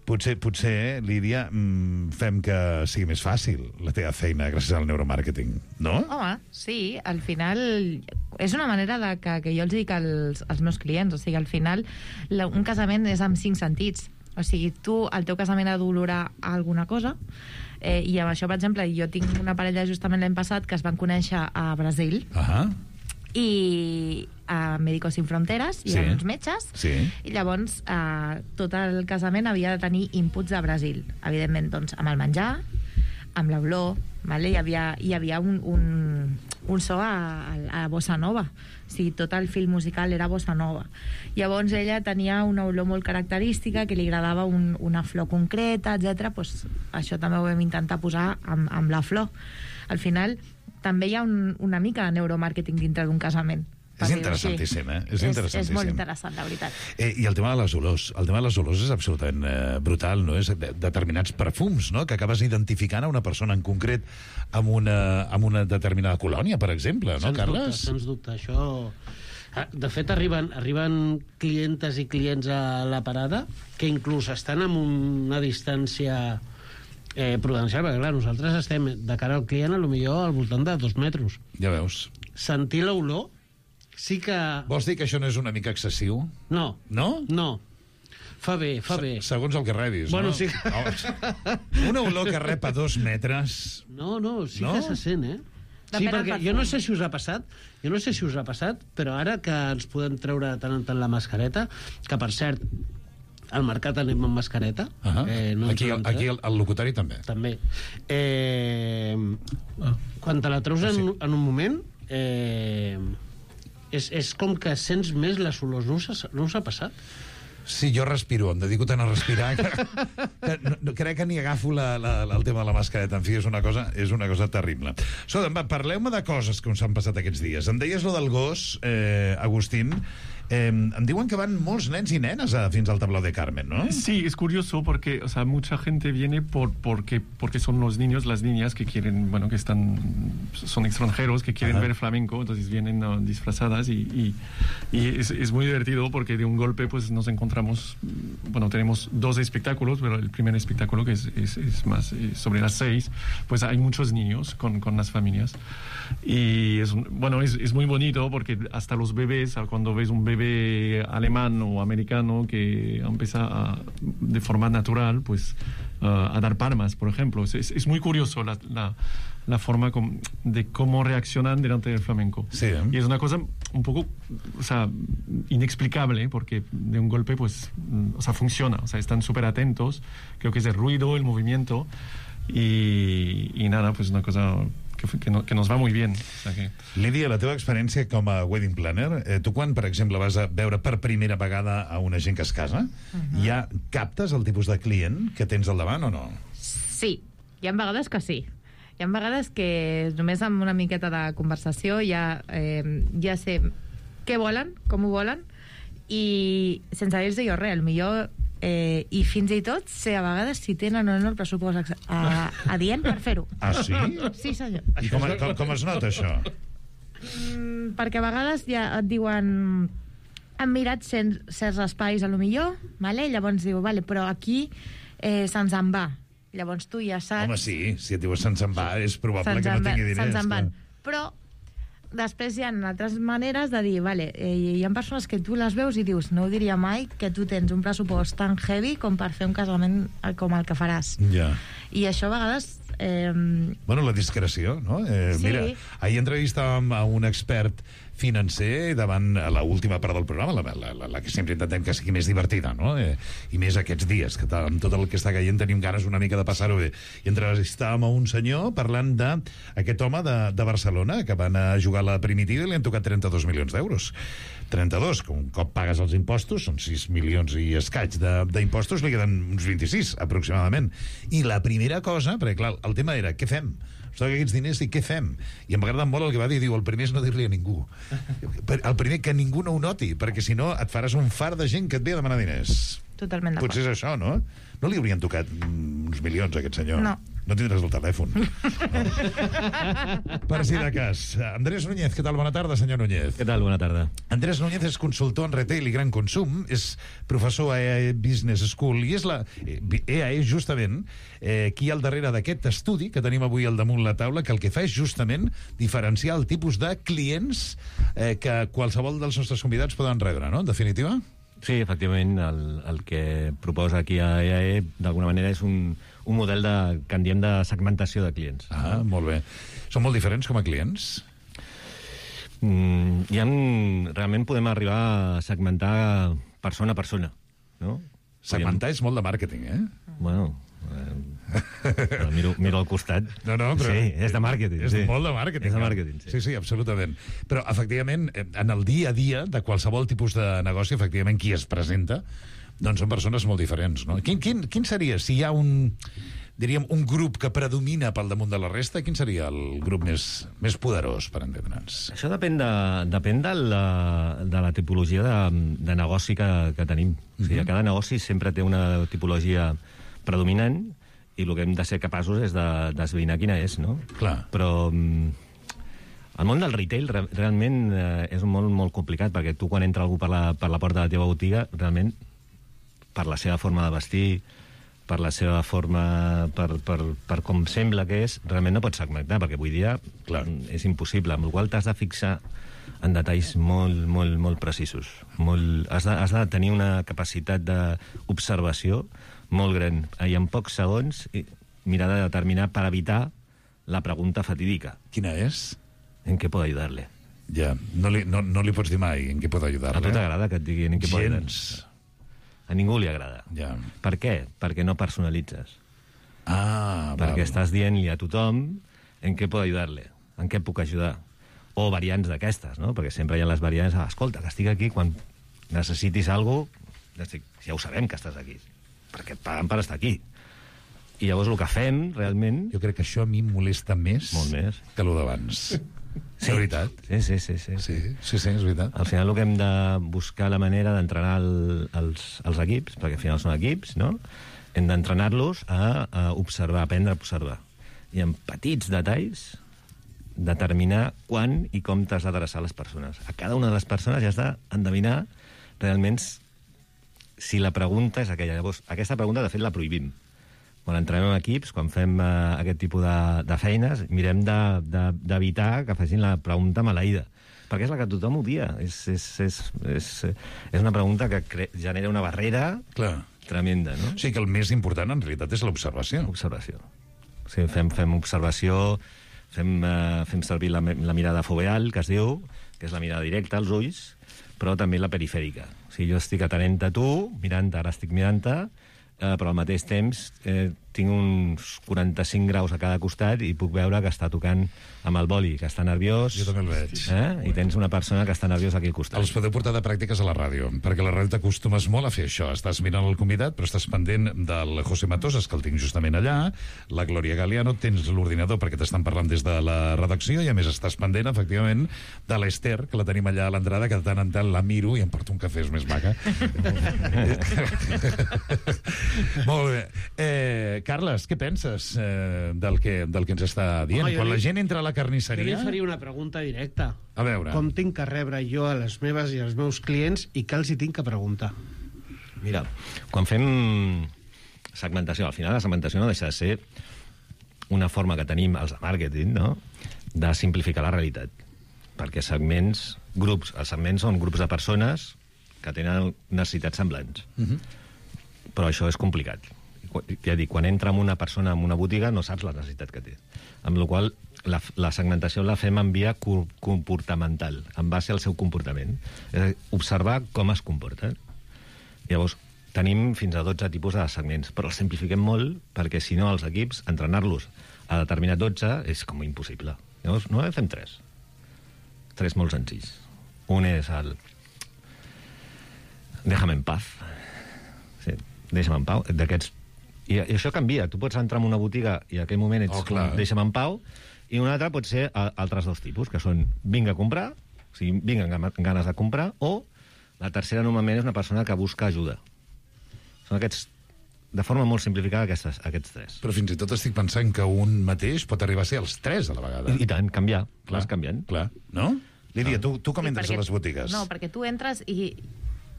Potser, potser, Lídia, mmm, fem que sigui més fàcil la teva feina gràcies al neuromàrqueting, no? Home, sí, al final és una manera de que, que jo els dic als, als meus clients, o sigui, al final la, un casament és amb cinc sentits, o sigui, tu, el teu casament ha d'olorar alguna cosa, eh, i amb això, per exemple, jo tinc una parella justament l'any passat que es van conèixer a Brasil, uh-huh. i a Médicos Sin Fronteres, hi ha sí. uns metges, sí. i llavors eh, tot el casament havia de tenir inputs de Brasil, evidentment, doncs, amb el menjar, amb l'olor, vale? hi havia, hi havia un, un, un so a, a bossa nova, o sigui, tot el fil musical era bossa nova. Llavors ella tenia una olor molt característica, que li agradava un, una flor concreta, etcètera. Pues, això també ho vam intentar posar amb, amb la flor. Al final també hi ha un, una mica de neuromàrqueting dintre d'un casament. per És dir-ho així. interessantíssim, eh? És És, interessantíssim. és molt interessant, la veritat. Eh, I el tema de les olors. El tema de les olors és absolutament eh, brutal, no? És de, determinats perfums, no? Que acabes identificant a una persona en concret amb una, amb una determinada colònia, per exemple, no, Sens Carles? Dubte, sens dubte, això... De fet, arriben, arriben clientes i clients a la parada que inclús estan amb una distància eh, prudencial, perquè clar, nosaltres estem de cara al client a lo millor al voltant de dos metres. Ja veus. Sentir l'olor sí que... Vols dir que això no és una mica excessiu? No. No? No. Fa bé, fa bé. Se segons el que rebis, bueno, no? Sí. No, una olor que rep a dos metres... No, no, sí no? que se sent, eh? Sí, Depèn del perquè perfum. jo no sé si us ha passat, jo no sé si us ha passat, però ara que ens podem treure de tant en tant la mascareta, que per cert, al mercat anem amb mascareta. Uh -huh. eh, no ens aquí ho hem aquí tret. el, el locutori també. També. Eh, quan te la treus Ah, sí. en, en un moment, eh, és, és com que sents més les olors. No us ha, no us ha passat? Sí, jo respiro, em dedico tant a respirar que, que no, no, crec que ni agafo la, la, el tema de la mascareta. En fi, és una cosa, és una cosa terrible. Escolta, parleu-me de coses que us han passat aquests dies. Em deies lo del gos, eh, Agustín. Eh, em diuen que van molts nens i nenes a, fins al tablao de Carmen, ¿no? Sí, es curioso porque, o sea, mucha gente viene por porque porque son los niños, las niñas que quieren, bueno, que están son extranjeros que quieren Ajá. ver flamenco, entonces vienen uh, disfrazadas y, y, y es, es muy divertido porque de un golpe pues nos encontramos, bueno, tenemos dos espectáculos, pero el primer espectáculo que es, es, es más es sobre las seis, pues hay muchos niños con, con las familias y es un- bueno, es, es muy bonito porque hasta los bebés, cuando ves un bebé alemán o americano que empieza a, de forma natural pues uh, a dar palmas, por ejemplo. Es, es muy curioso la, la, la forma com, de cómo reaccionan delante del flamenco. Sí, ¿eh? Y es una cosa un poco, o sea, inexplicable porque de un golpe pues, mm, o sea, funciona. O sea, están súper atentos. Creo que es el ruido, el movimiento y, y nada, pues una cosa que, que, no, que nos va muy bien. O sea que... Lídia, la teva experiència com a wedding planner, eh, tu quan, per exemple, vas a veure per primera vegada a una gent que es casa, uh -huh. ja captes el tipus de client que tens al davant o no? Sí, hi ha vegades que sí. Hi ha vegades que només amb una miqueta de conversació ja, eh, ja sé què volen, com ho volen, i sense dir-los jo res, millor eh, i fins i tot sé a vegades si tenen o no el pressupost ex- a, adient per fer-ho. Ah, sí? Sí, senyor. I com, com, com es nota, això? Mm, perquè a vegades ja et diuen han mirat certs, certs espais a lo millor, vale? Llavors diu, vale, però aquí eh, se'ns en va. Llavors tu ja saps... Home, sí, si et dius se'ns en va, és probable se'ns que no en va- tingui diners. se'ns en van. clar. Però després hi ha altres maneres de dir, vale, eh, hi ha persones que tu les veus i dius, no ho diria mai que tu tens un pressupost tan heavy com per fer un casament eh, com el que faràs. Ja. I això a vegades... Eh, Bueno, la discreció, no? Eh, Sí. Mira, ahir entrevistàvem a un expert financer davant a l'última part del programa, la, la, la, la que sempre intentem que sigui més divertida, no? Eh, I més aquests dies, que amb tot el que està caient tenim ganes una mica de passar-ho bé. I entrevistàvem a un senyor parlant d'aquest home de, de Barcelona que van a jugar a la Primitiva i li han tocat trenta-dos milions d'euros. trenta-dos, que un cop pagues els impostos, són sis milions i escaig de- d'impostos, li queden uns vint-i-sis, aproximadament. I la primera cosa, perquè clar, el tema era, què fem? Ens toquen aquests diners i què fem? I em va agradar molt el que va dir, diu, el primer és no dir-li a ningú. El primer que ningú no ho noti, perquè si no et faràs un far de gent que et ve a demanar diners. totalment d'acord. Potser és això, no? No li haurien tocat mm, uns milions a aquest senyor. No. No tindràs el telèfon. No. Per si de cas. Andrés Núñez, què tal? Bona tarda, senyor Núñez. Què tal? Bona tarda. Andrés Núñez és consultor en retail i gran consum, és professor a E A E Business School i és la E A E justament eh, qui hi ha al darrere d'aquest estudi que tenim avui al damunt la taula, que el que fa és justament diferenciar el tipus de clients eh, que qualsevol dels nostres convidats poden rebre, no? En definitiva? Sí, efectivament, el, el que proposa aquí a E A E d'alguna manera és un, un model de, que en diem de segmentació de clients. Ah, molt bé. Són molt diferents com a clients? Mm, hi ha, realment podem arribar a segmentar persona a persona, no? Segmentar és molt de màrqueting, eh? Bueno, eh, miro, miro al costat. No, no, però... Sí, és de màrqueting. És sí. molt de màrqueting. És de no? màrqueting, sí. Sí, sí, absolutament. Però, efectivament, eh, en el dia a dia de qualsevol tipus de negoci, efectivament, qui es presenta, doncs són persones molt diferents, no? Quin, quin, quin seria, si hi ha un... diríem, un grup que predomina pel damunt de la resta, quin seria el grup més, més poderós, per entendre'ns? Això depèn de, depèn de, la, de la tipologia de, de negoci que, que tenim. O sigui, cada negoci sempre té una tipologia predominant i el que hem de ser capaços és d'esbrinar de, quina és, no? Clar. Però el món del retail re, realment eh, és un món molt complicat, perquè tu quan entra algú per la, per la porta de la teva botiga, realment, per la seva forma de vestir, per la seva forma, per, per, per com sembla que és, realment no pots segmentar, perquè avui dia Clar. és impossible, amb la qual t'has de fixar en detalls molt, molt, molt precisos. Molt, has, de, has de tenir una capacitat d'observació molt gran, i en pocs segons mirar de determinar per evitar la pregunta fatídica. Quina és? ¿En què puedo ayudarle? Ja, no li, no, no li pots dir mai en què pot ajudar-le. A tu t'agrada que et diguin en què pot ajudar? Gens. A ningú li agrada. Ja. Per què? Perquè no personalitzes. Ah, Perquè val. estàs dient-li a tothom en què puc ajudar-le, en què puc ajudar. O variants d'aquestes, no? Perquè sempre hi ha les variants, ah, escolta, que estic aquí quan necessitis alguna cosa, ja ho sabem que estàs aquí, perquè et paguen per estar aquí. I llavors el que fem, realment... Jo crec que això a mi em molesta més, molt més. que el d'abans. Sí. De veritat. Sí, sí, sí, sí. Sí, sí, sí, és veritat. Al final el que hem de buscar la manera d'entrenar el, els, els equips, perquè al final són equips, no? Hem d'entrenar-los a, a observar, a aprendre a observar. I en petits detalls determinar quan i com t'has d'adreçar a les persones. A cada una de les persones ja has d'endevinar realment si la pregunta és aquella. Llavors, aquesta pregunta, de fet, la prohibim. Quan entrem en equips, quan fem uh, aquest tipus de, de feines, mirem d'evitar de, de, que facin la pregunta maleïda. Perquè és la que tothom odia. És, és, és, és, és una pregunta que cre genera una barrera Clar. tremenda, no? O sigui que el més important, en realitat, és l'observació. Observació. O sigui, fem, fem observació, fem, uh, fem servir la, la mirada foveal, que es diu, que és la mirada directa als ulls, però també la perifèrica. O sigui, jo estic atenent a tu, mirant-te, ara estic mirant-te, eh, però al mateix temps eh, tinc uns quaranta-cinc graus a cada costat i puc veure que està tocant amb el boli, que està nerviós. Jo també el veig. Eh? I tens una persona que està nerviosa aquí al costat. Els podeu portar de pràctiques a la ràdio, perquè a la ràdio t'acostumes molt a fer això. Estàs mirant el convidat, però estàs pendent del José Matosas, que el tinc justament allà, la Glòria Galeano, tens l'ordinador perquè t'estan parlant des de la redacció, i a més estàs pendent, efectivament, de l'Ester, que la tenim allà a l'entrada, que de tant en tant la miro i em porto un cafè, és més maca. Molt bé. Eh, Carles, què penses eh, del, que, del que ens està dient? Home, Quan la li, gent entra a la carnisseria... Jo li faria una pregunta directa. A veure. Com tinc que rebre jo a les meves i als meus clients i què els hi tinc que preguntar? Mira, quan fem segmentació, al final la segmentació no deixa de ser una forma que tenim els de màrqueting, no?, de simplificar la realitat. Perquè segments, grups, els segments són grups de persones que tenen necessitats semblants. Uh-huh. Però això és complicat. Ja dic, quan entra amb una persona en una botiga no saps la necessitat que té. Amb la qual la, la segmentació la fem en via comportamental, en base al seu comportament. És a dir, observar com es comporta. Llavors, tenim fins a dotze tipus de segments, però els simplifiquem molt perquè, si no, els equips, entrenar-los a determinat dotze és com impossible. Llavors, no fem tres. Tres molt senzills. Un és el... Déjame en paz. Sí, deixa'm en pau. D'aquests... I, I això canvia. Tu pots entrar en una botiga i en aquell moment ets oh, com, deixa'm en pau, i un altre pot ser a, altres dos tipus, que són vinga a comprar, o sigui, vinga amb ganes de comprar, o la tercera normalment és una persona que busca ajuda. Són aquests, de forma molt simplificada, aquestes, aquests tres. Però fins i tot estic pensant que un mateix pot arribar a ser els tres a la vegada. I, i tant, canviar. Clar, vas canviant. Clar, no? Lídia, tu, tu com Sí, entres perquè- a les botigues? No, perquè tu entres i...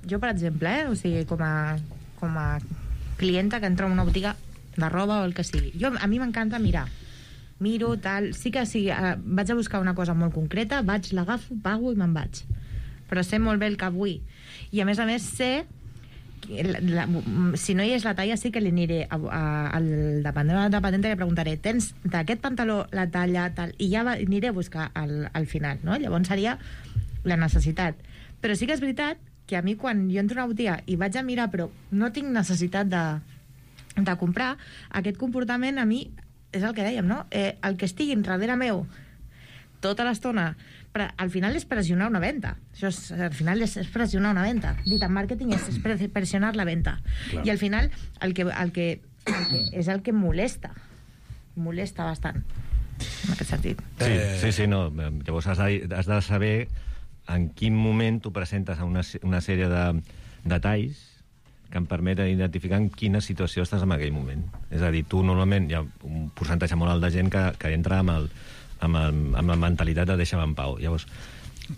Jo, per exemple, eh, o sigui, com a, com a clienta que entra en una botiga de roba o el que sigui, jo, a mi m'encanta mirar. Miro, tal... Sí que sí, eh, vaig a buscar una cosa molt concreta, vaig, l'agafo, pago i me'n vaig. Però sé molt bé el que vull. I, a més a més, sé... que La, la, si no hi és la talla, sí que li aniré a, a, al dependent o la dependenta i li preguntaré, tens d'aquest pantaló la talla, tal, i ja va, aniré a buscar al, al final, no? Llavors seria la necessitat. Però sí que és veritat que a mi, quan jo entro a una botiga i vaig a mirar, però no tinc necessitat de, de comprar, aquest comportament a mi és el que dèiem, no? Eh, el que estigui darrere meu tota l'estona, però al final és pressionar una venda. Això és, al final és, és pressionar una venda. Dit en màrqueting és, és pre- pressionar la venda. Clar. I al final el que, el que és el que molesta. Molesta bastant, en aquest sentit. Sí, sí, sí, no. Llavors has de, has de saber en quin moment tu presentes a una, una sèrie de detalls que em permeten identificar en quina situació estàs en aquell moment. És a dir, tu normalment hi ha un percentatge molt alt de gent que, que entra amb, el, amb, el, amb la mentalitat de deixa'm en pau. Llavors,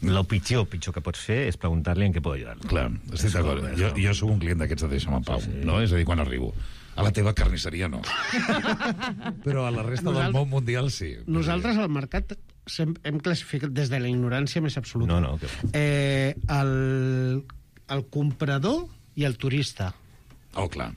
el pitjor, pitjor que pots fer és preguntar-li en què pot ajudar. Clar, estic d'acord. Jo, jo soc un client d'aquests de deixa'm en pau, sí, sí. No? És a dir, quan arribo. A la teva carnisseria no. Però a la resta Nosaltres, del món mundial sí. Nosaltres al mercat hem classificat des de la ignorància més absoluta. No, no. Que... Eh, el, el comprador i el turista. Oh, clar.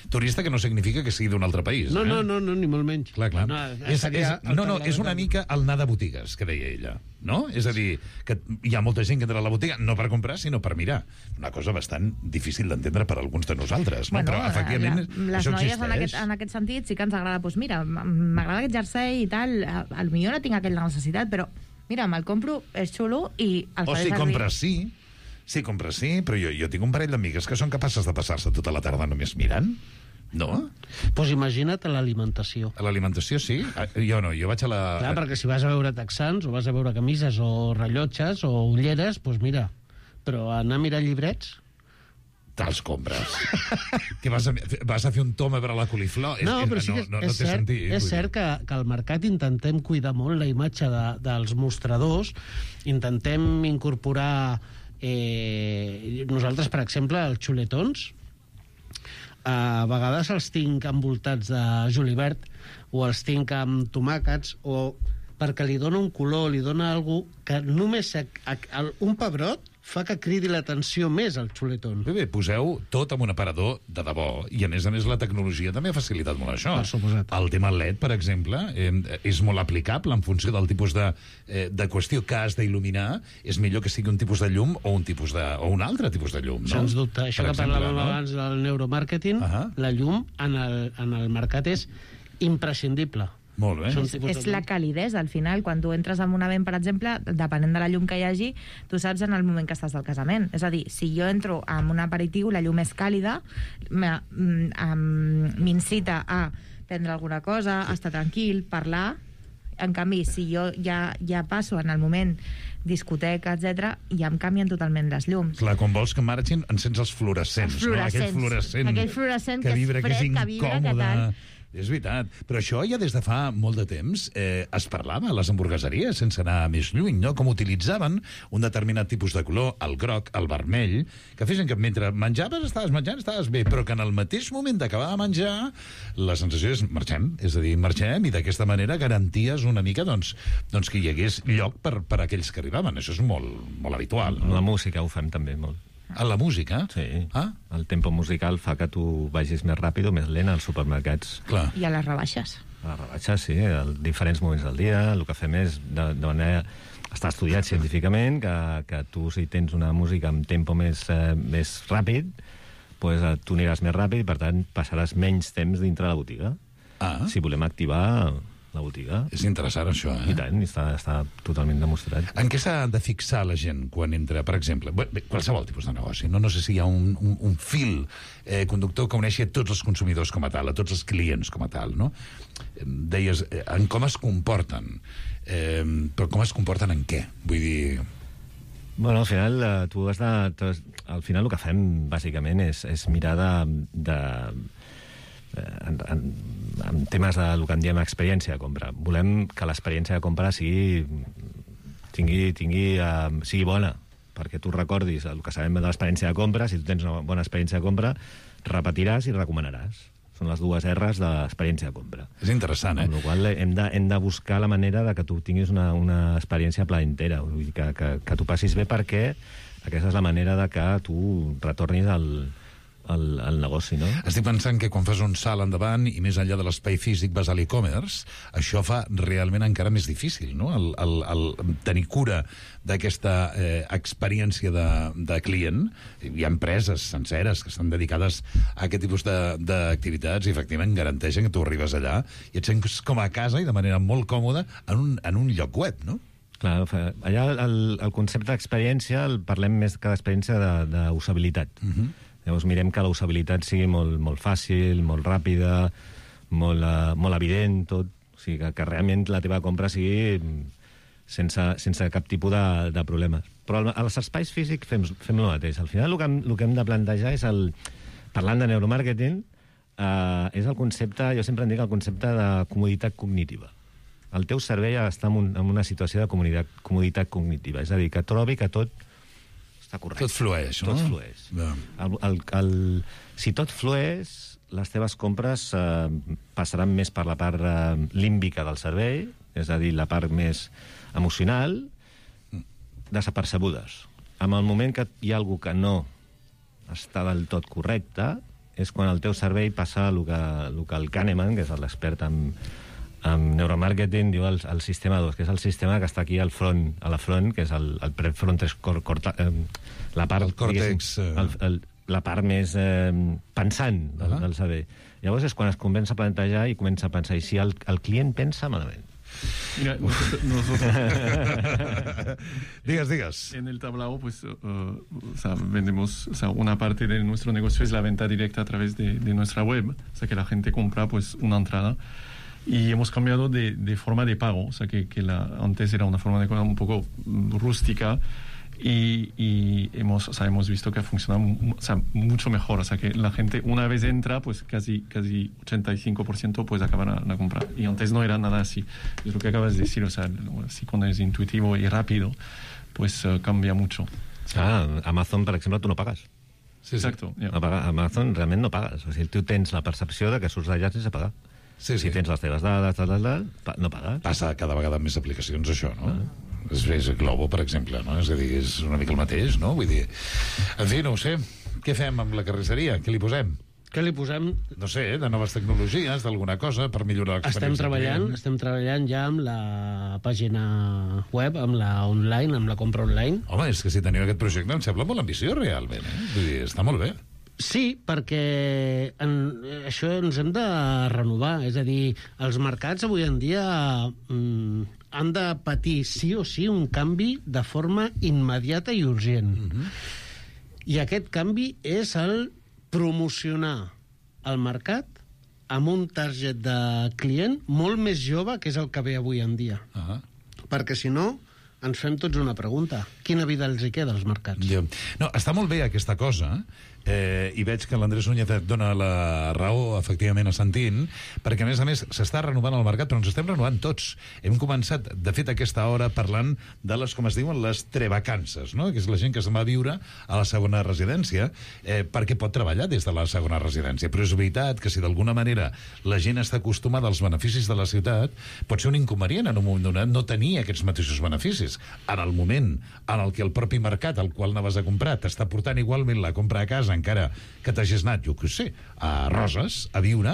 Turista que no significa que sigui d'un altre país. No, eh? no, no, no, ni molt menys. Clar, clar. No, és, és, no, no, és una mica el anar de botigues, que deia ella. No? És a dir, que hi ha molta gent que entra a la botiga no per comprar, sinó per mirar. Una cosa bastant difícil d'entendre per alguns de nosaltres. No? Bueno, però, efectivament, la, les això noies existeix. en aquest, en aquest sentit sí que ens agrada. Doncs mira, m'agrada aquest jersei i tal, potser no tinc aquella necessitat, però mira, me'l compro, és xulo i el o faré si servir. compres sí, sí, compres sí, però jo, jo tinc un parell d'amigues que són capaces de passar-se tota la tarda només mirant. No? Doncs pues imagina't a l'alimentació. A l'alimentació, sí? Jo no, jo vaig a la... Clar, perquè si vas a veure texans, o vas a veure camises, o rellotges, o ulleres, doncs pues mira, però anar a mirar llibrets... Te'ls compres. Que vas a, vas a fer un toma per a la coliflor? No, però sí que no, no, no és, cert, sentit, és cert que, que al mercat intentem cuidar molt la imatge de, dels mostradors, intentem incorporar... Eh, nosaltres, per exemple, els xuletons, a vegades els tinc envoltats de julivert o els tinc amb tomàquets o perquè li dona un color, li dona alguna cosa que només a, a, a, un pebrot fa que cridi l'atenció més al xuletón. Bé, bé, poseu tot amb un aparador de debò i a més a més la tecnologia també ha facilitat molt això. Per suposat. El tema L E D, per exemple, eh, és molt aplicable en funció del tipus de, eh, de qüestió que has d'il·luminar. És millor que sigui un tipus de llum o un, tipus de, o un altre tipus de llum, no? Sens dubte. Això per que exemple, parlàvem no? abans del neuromàrqueting, uh -huh. la llum en el, en el mercat és imprescindible. Molt bé. És, és la calidesa, al final. Quan tu entres en un event, per exemple, depenent de la llum que hi hagi, tu saps en el moment que estàs del casament. És a dir, si jo entro amb un aperitiu, la llum és càlida, m'incita a prendre alguna cosa, a estar tranquil, parlar. En canvi, si jo ja, ja passo en el moment discoteca, etcètera, ja em canvien totalment les llums. Clar, quan vols que marxin, encens els fluorescents. Els fluorescents. No? Aquell fluorescent, aquell fluorescent que, que vibra, és fred, que és que vibra, que tal... És veritat, però això ja des de fa molt de temps eh, es parlava a les hamburgueseries, sense anar més lluny, no? Com utilitzaven un determinat tipus de color, el groc, el vermell, que feien que mentre menjaves estaves menjant, estaves bé, però que en el mateix moment d'acabar de menjar la sensació és marxem, és a dir, marxem, i d'aquesta manera garanties una mica doncs, doncs que hi hagués lloc per, per a aquells que arribaven. Això és molt, molt habitual. No? La música ho fem també molt. A la música? Sí. Ah? El tempo musical fa que tu vagis més ràpid o més lent als supermercats. Clar. I a les rebaixes. A les rebaixes, sí, a diferents moments del dia. El que fem és, de, de manera... Està estudiat científicament que, que tu, si tens una música amb tempo més, eh, més ràpid, pues, tu aniràs més ràpid i, per tant, passaràs menys temps dintre la botiga. Ah. Si volem activar la botiga. És interessant, això, eh? I tant, està, està totalment demostrat. En què s'ha de fixar la gent quan entra, per exemple, bé, qualsevol tipus de negoci? No, no sé si hi ha un, un, un fil eh, conductor que uneixi a tots els consumidors com a tal, a tots els clients com a tal, no? Deies, eh, en com es comporten. Eh, però com es comporten en què? Vull dir... Bueno, al final, eh, tu has de... Tu has, al final el que fem, bàsicament, és, és mirar de... de En, en, en temes de el que en diem experiència de compra. Volem que l'experiència de compra sigui tingui, tingui, uh, sigui bona, perquè tu recordis el que sabem de l'experiència de compra. Si tu tens una bona experiència de compra, repetiràs i recomanaràs. Són les dues R's de l'experiència de compra. És interessant, eh? Amb la qual hem de, hem de buscar la manera de que tu tinguis una, una experiència placentera, vull dir, que, que, que tu passis bé, perquè aquesta és la manera de que tu retornis al El, el negoci, no? Estic pensant que quan fas un salt endavant i més enllà de l'espai físic vas a l'e-commerce, això fa realment encara més difícil, no? El, el, el tenir cura d'aquesta eh, experiència de, de client. Hi ha empreses senceres que estan dedicades a aquest tipus d'activitats i efectivament garanteixen que tu arribes allà i et sents com a casa i de manera molt còmoda en un, en un lloc web, no? Clar, allà el, el concepte d'experiència el parlem més que d'experiència d'usabilitat. Uh -huh. Llavors mirem que la usabilitat sigui molt, molt fàcil, molt ràpida, molt, uh, molt evident, tot. O sigui, que, que realment la teva compra sigui sense, sense cap tipus de, de problemes. Però als espais físics fem, fem el mateix. Al final el que, hem, el que hem de plantejar és el... Parlant de neuromàrqueting, uh, és el concepte, jo sempre en dic el concepte de comoditat cognitiva. El teu cervell està en, un, en una situació de comoditat, comoditat cognitiva, és a dir, que trobi que tot està correcte. Tot flueix, no? Tot flueix. El, el, el, si tot flueix, les teves compres eh, passaran més per la part eh, límbica del cervell, és a dir, la part més emocional, desapercebudes. En el moment que hi ha algú que no està del tot correcte, és quan el teu cervell passa el que, el que el Kahneman, que és l'expert en, en neuromàrqueting, diu el, el sistema dos, que és el sistema que està aquí al front, a la front, que és el, el prefrontes corta, eh, la part, el còrtex, eh... el, el, la part més eh, pensant del, uh-huh. del cervell. Llavors és quan es comença a plantejar i comença a pensar, i si el, el client pensa malament. Mira, nosotros, nosotros digas, digas. En el tablao, pues, uh, o sea, vendemos, o sea, una parte de nuestro negocio es la venta directa a través de, de nuestra web, o sea, que la gente compra, pues, una entrada. Y hemos cambiado de, de forma de pago, o sea, que, que la, antes era una forma de pago un poco rústica, y, y hemos, o sea, hemos visto que funciona o sea, mucho mejor. O sea, que la gente una vez entra, pues casi, casi ochenta y cinco por ciento pues acaba la, la compra. Y antes no era nada así. Es lo que acabas de decir, o sea, así cuando es intuitivo y rápido, pues uh, cambia mucho. Ah, Amazon, per exemple, tu no pagues. Sí, exacto. Yeah. No paga, Amazon realment no pagues. O sigui, tu tens la percepció de que surts d'allà sense pagar. Sí, sí. Si tens les teves dades, tal, tal, tal, no pagues. Passa cada vegada amb més aplicacions, això, no? Ah. És, és Globo, per exemple, no? És a dir, és una mica el mateix, no? Vull dir... En fi, no ho sé. Què fem amb la carnisseria? Què li posem? Què li posem? No sé, de noves tecnologies, d'alguna cosa, per millorar l'experiència. Estem treballant, estem treballant ja amb la pàgina web, amb la online, amb la compra online. Home, és que si teniu aquest projecte em sembla molt ambiciós, realment, eh? Vull dir, està molt bé. Sí, perquè en, això ens hem de renovar. És a dir, els mercats avui en dia mm, han de patir sí o sí un canvi de forma immediata i urgent. Mm-hmm. I aquest canvi és el promocionar el mercat amb un target de client molt més jove, que és el que ve avui en dia. Uh-huh. Perquè si no, ens fem tots una pregunta. Quina vida els hi queda als mercats? Ja. No, està molt bé aquesta cosa, eh, i veig que l'Andrés Núñez et dona la raó, efectivament, assentint, perquè, a més a més, s'està renovant el mercat, però ens estem renovant tots. Hem començat, de fet, aquesta hora parlant de les, com es diuen, les trevacances, no? Que és la gent que se'n va a viure a la segona residència, eh, perquè pot treballar des de la segona residència. Però és veritat que si d'alguna manera la gent està acostumada als beneficis de la ciutat, pot ser un inconvenient en un moment donat no tenir aquests mateixos beneficis. En el moment en el que el propi mercat al qual anaves a comprar t'està portant igualment la compra a casa, encara que t'hagis anat, jo què sé, a Roses, a viure,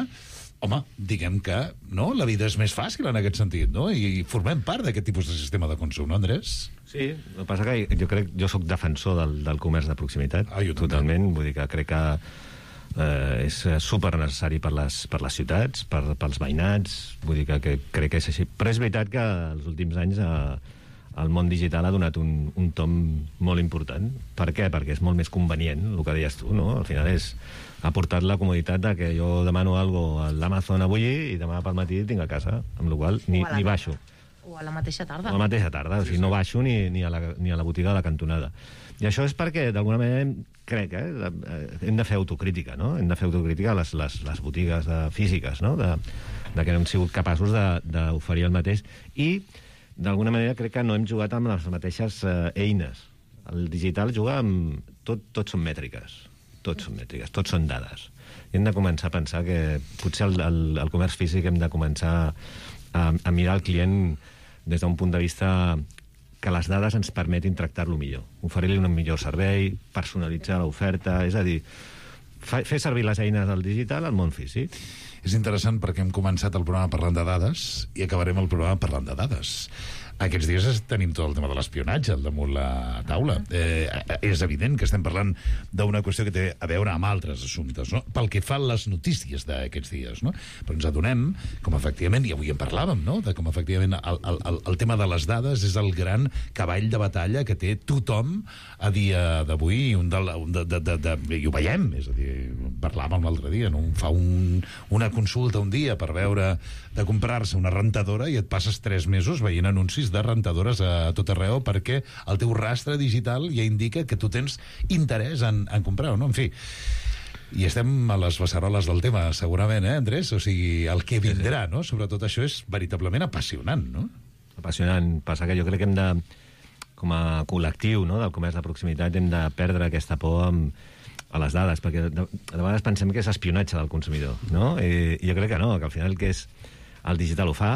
home, diguem que no, la vida és més fàcil en aquest sentit, no? I formem part d'aquest tipus de sistema de consum, no, Andrés? Sí, el que passa que jo crec, jo sóc defensor del, del comerç de proximitat, ah, totalment, vull dir que crec que eh, és super necessari per les, per les ciutats, per, pels veïnats, vull dir que, que crec que és així. Però és veritat que els últims anys eh, el món digital ha donat un, un tom molt important. Per què? Perquè és molt més convenient, el que deies tu, no? Al final és, ha portat la comoditat de que jo demano alguna cosa a l'Amazon avui i demà pel matí tinc a casa, amb la qual cosa ni, ni baixo. O a la mateixa tarda. A la mateixa tarda, o sigui, no baixo ni, ni, a la, ni a la botiga de la cantonada. I això és perquè, d'alguna manera, crec, eh, hem de fer autocrítica, no? Hem de fer autocrítica a les, les, les botigues de, físiques, no? De, de que no hem sigut capaços d'oferir el mateix. I d'alguna manera crec que no hem jugat amb les mateixes eh, eines. El digital juga amb... Tot, tot són mètriques. Tots són mètriques, tots són dades. I hem de començar a pensar que potser el, el, el comerç físic hem de començar a, a mirar el client des d'un punt de vista que les dades ens permetin tractar-lo millor. Oferir-li un millor servei, personalitzar l'oferta, és a dir, fa, fer servir les eines del digital al món físic. És interessant perquè hem començat el programa parlant de dades i acabarem el programa parlant de dades. Aquests dies tenim tot el tema de l'espionatge al damunt la taula. Eh, és evident que estem parlant d'una qüestió que té a veure amb altres assumptes, no? Pel que fa a les notícies d'aquests dies, no? Però ens adonem, com efectivament, i avui en parlàvem, no? De com efectivament el, el, el, el tema de les dades és el gran cavall de batalla que té tothom a dia d'avui, un de, un de, de, de, de, i ho veiem, és a dir, parlàvem l'altre dia, no? Fa un, una consulta un dia per veure de comprar-se una rentadora i et passes tres mesos veient anuncis de rentadores a tot arreu perquè el teu rastre digital ja indica que tu tens interès en, en comprar-ho, no? En fi, i estem a les beceroles del tema, segurament, eh, Andrés? O sigui, el que vindrà, no? Sobretot això és veritablement apassionant, no? Apassionant. Passa que jo crec que hem de, com a col·lectiu, no?, del comerç de proximitat, hem de perdre aquesta por amb, a les dades, perquè de, de vegades pensem que és espionatge del consumidor, no? I, i jo crec que no, que al final que és el digital ho fa,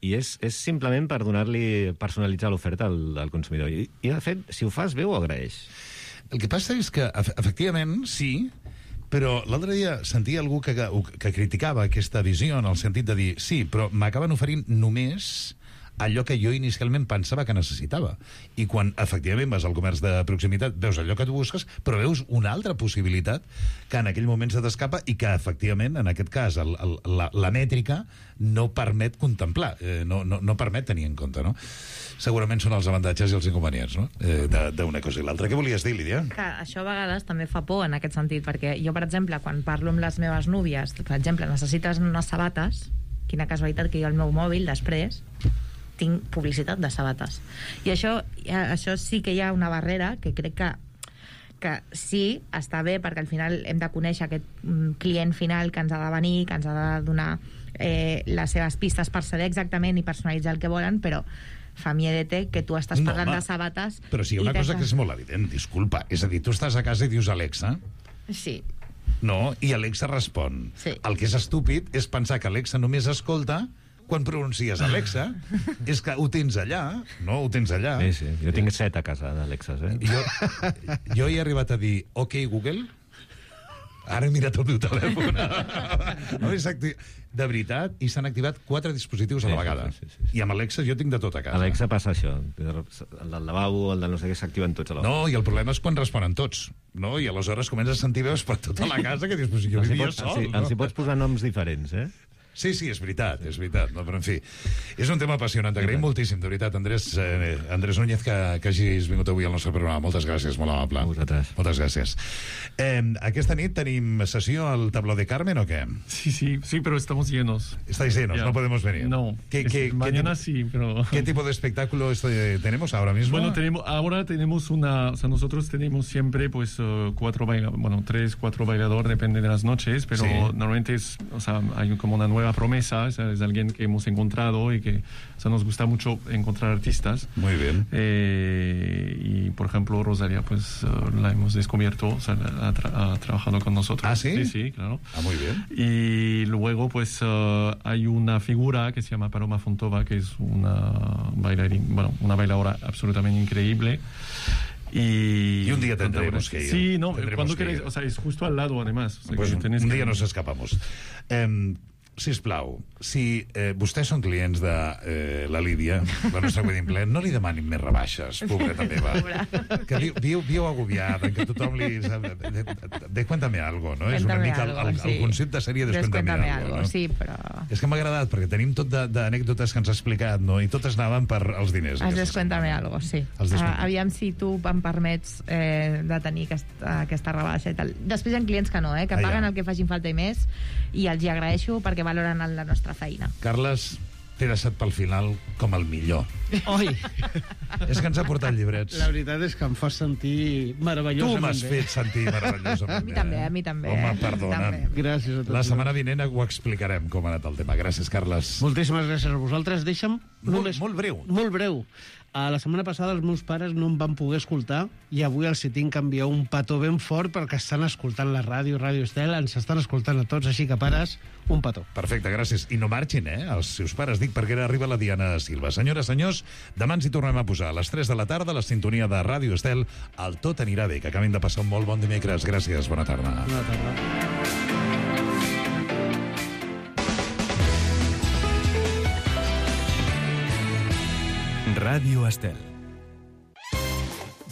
i és, és simplement per donar-li, personalitzar l'oferta al, al consumidor. I, I, de fet, si ho fas bé, ho agraeix. El que passa és que, efectivament, sí, però l'altre dia sentia algú que, que, que criticava aquesta visió en el sentit de dir, sí, però m'acaben oferint només allò que jo inicialment pensava que necessitava. I quan, efectivament, vas al comerç de proximitat, veus allò que tu busques, però veus una altra possibilitat que en aquell moment se t'escapa i que, efectivament, en aquest cas, el, el, la, la mètrica no permet contemplar, eh, no, no, no permet tenir en compte, no? Segurament són els avantatges i els inconvenients, no?, eh, d'una cosa i l'altra. Què volies dir, Lídia? Que això a vegades també fa por en aquest sentit, perquè jo, per exemple, quan parlo amb les meves núvies, per exemple, necessites unes sabates, quina casualitat que jo al meu mòbil, després, tinc publicitat de sabates. I això, això sí que hi ha una barrera que crec que, que sí, està bé, perquè al final hem de conèixer aquest client final que ens ha de venir, que ens ha de donar eh, les seves pistes per saber exactament i personalitzar el que volen, però fa miedete que tu estàs parlant no, de sabates... Però sí, hi ha una cosa que és molt evident, disculpa. És a dir, tu estàs a casa i dius Alexa... Sí. No, i Alexa respon. Sí. El que és estúpid és pensar que Alexa només escolta quan pronuncies Alexa, és que ho tens allà, no? Ho tens allà. Sí, sí. Jo tinc set a casa d'Alexas, eh? Jo, jo he arribat a dir, ok, Google, ara he mirat el meu telèfon. De veritat, i s'han activat quatre dispositius a la vegada. Sí, sí, sí, sí. I amb Alexa jo tinc de tot a casa. Alexa passa això. El del lavabo, el del no sé què, s'activen tots a la vegada. No, i el problema és quan responen tots, no? I aleshores comences a sentir veus per tota la casa que dius, pues jo vivia sol, no? Els hi pots posar noms diferents, eh? Sí, sí, és veritat, és veritat, no? Però en fi, és un tema apassionant. T'agraïm moltíssim, de veritat, Andrés, eh, Andrés Núñez, que, que hagis vingut avui al nostre programa. Moltes gràcies, molt amable. A vosaltres. Moltes gràcies. Eh, aquesta nit tenim sessió al tabló de Carmen o qué? Sí, sí, sí, pero estamos llenos. ¿Estáis llenos? Ya. No podemos venir. No, ¿Qué, es, qué, mañana qué, sí, pero... ¿Qué tipo de espectáculo estoy, tenemos ahora mismo? Bueno, tenemos, ahora tenemos una... O sea, nosotros tenemos siempre, pues, uh, cuatro bailadores, bueno, tres, cuatro bailadores, depende de las noches, pero sí. Normalmente es, o sea, hay como una nueva promesa, es, es alguien que hemos encontrado y que, o sea, nos gusta mucho encontrar artistas. Muy bien. Eh, y, por ejemplo, Rosalía, pues, uh, la hemos descubierto, o sea, ha, tra ha trabajado con nosotros. ¿Ah, sí? Sí, sí, claro. Ah, muy bien. Y luego, pues, uh, hay una figura que se llama Paloma Fontova, que es una bailarina, bueno, una bailadora absolutamente increíble. Y, y un día tendremos que ir. Sí, no, cuando queréis, o sea, es justo al lado, además. O sea, pues que un, tenéis un que... día nos escapamos. Eh, sisplau, si eh, vostès són clients de eh, la Lídia, la nostra wedding plan, no li demanin més rebaixes, pobreta meva. Que viu, viu, viu agobiada, que tothom li... Descuéntame algo, no? Cuéntame És una mica algo, el, el, sí. el concepte seria Descuéntame, Descuéntame algo, algo, no? sí, però... És que m'ha agradat, perquè tenim tot d'anècdotes que ens ha explicat, no? I totes anaven per als diners. Els Descuéntame algo, sí. Uh, aviam si tu em permets eh, de tenir aquesta, aquesta rebaixa i tal. Després hi ha clients que no, eh, que ah, paguen ja. el que facin falta i més, i els hi agraeixo perquè valoren la nostra feina. Carles, t'he deixat pel final com el millor. Oi! És que ens ha portat llibrets. La veritat és que em fa sentir meravellosament bé. Tu m'has fet sentir meravellosament bé. A mi també, a mi també. Home, eh? perdona'm. Gràcies a tots. La setmana vinent ho explicarem com ha anat el tema. Gràcies, Carles. Moltíssimes gràcies a vosaltres. Deixa'm... Molt, només... molt breu. Molt breu. A la setmana passada els meus pares no em van poder escoltar i avui els tinc que enviar un petó ben fort perquè estan escoltant la ràdio, Ràdio Estel, ens estan escoltant a tots, així que pares, un petó. Perfecte, gràcies. I no marxin, eh, els seus pares. Dic perquè ara arriba la Diana Silva. Senyores, senyors, demà ens hi tornem a posar a les tres de la tarda, la sintonia de Ràdio Estel, el Tot anirà bé, que acabin de passar un molt bon dimecres. Gràcies, bona tarda. Bona tarda. Ràdio Estel.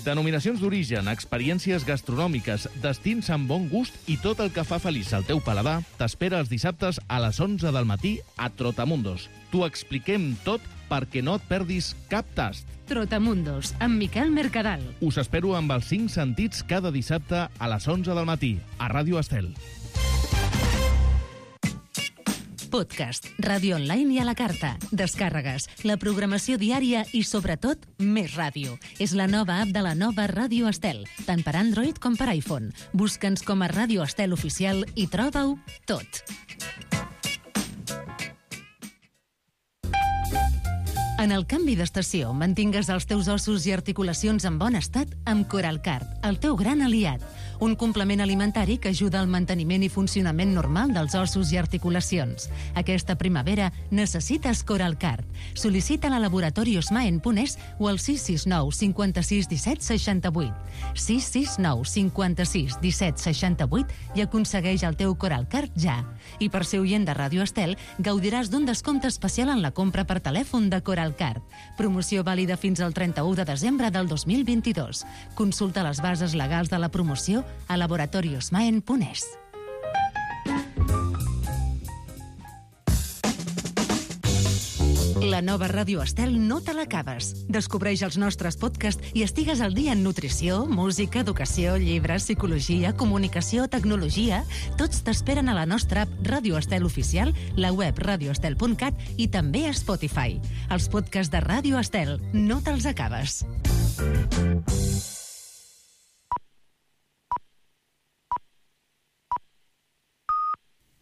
Denominacions d'origen, experiències gastronòmiques, destins amb bon gust i tot el que fa feliç al teu paladar t'espera els dissabtes a les onze del matí a Trotamundos. T'ho expliquem tot perquè no et perdis cap tast. Trotamundos, amb Miquel Mercadal. Us espero amb els cinc sentits cada dissabte a les onze del matí a Ràdio Estel. Podcast, ràdio online i a la carta, descàrregues, la programació diària i, sobretot, més ràdio. És la nova app de la nova Ràdio Estel, tant per Android com per iPhone. Busca'ns com a Ràdio Estel Oficial i troba-ho tot. En el canvi d'estació, mantingues els teus ossos i articulacions en bon estat amb Coralcard, el teu gran aliat. Un complement alimentari que ajuda al manteniment i funcionament normal dels ossos i articulacions. Aquesta primavera necessites Coralcard. Sol·licita-la a Laboratori Osmaen punt es o al sis sis nou cinquanta-sis disset seixanta-vuit. sis sis nou cinquanta-sis disset seixanta-vuit i aconsegueix el teu Coralcard ja. I per ser oient de Ràdio Estel, gaudiràs d'un descompte especial en la compra per telèfon de Coralcard. Promoció vàlida fins al trenta-u de desembre del dos mil vint-i-dos. Consulta les bases legals de la promoció a Laboratori Osmaen punt es. La nova Ràdio Estel no te l'acabes. Descobreix els nostres podcasts i estigues al dia en nutrició, música, educació, llibres, psicologia, comunicació, tecnologia. Tots t'esperen a la nostra app Ràdio Estel Oficial, la web radio estel punt cat i també a Spotify. Els podcasts de Ràdio Estel no te'ls acabes.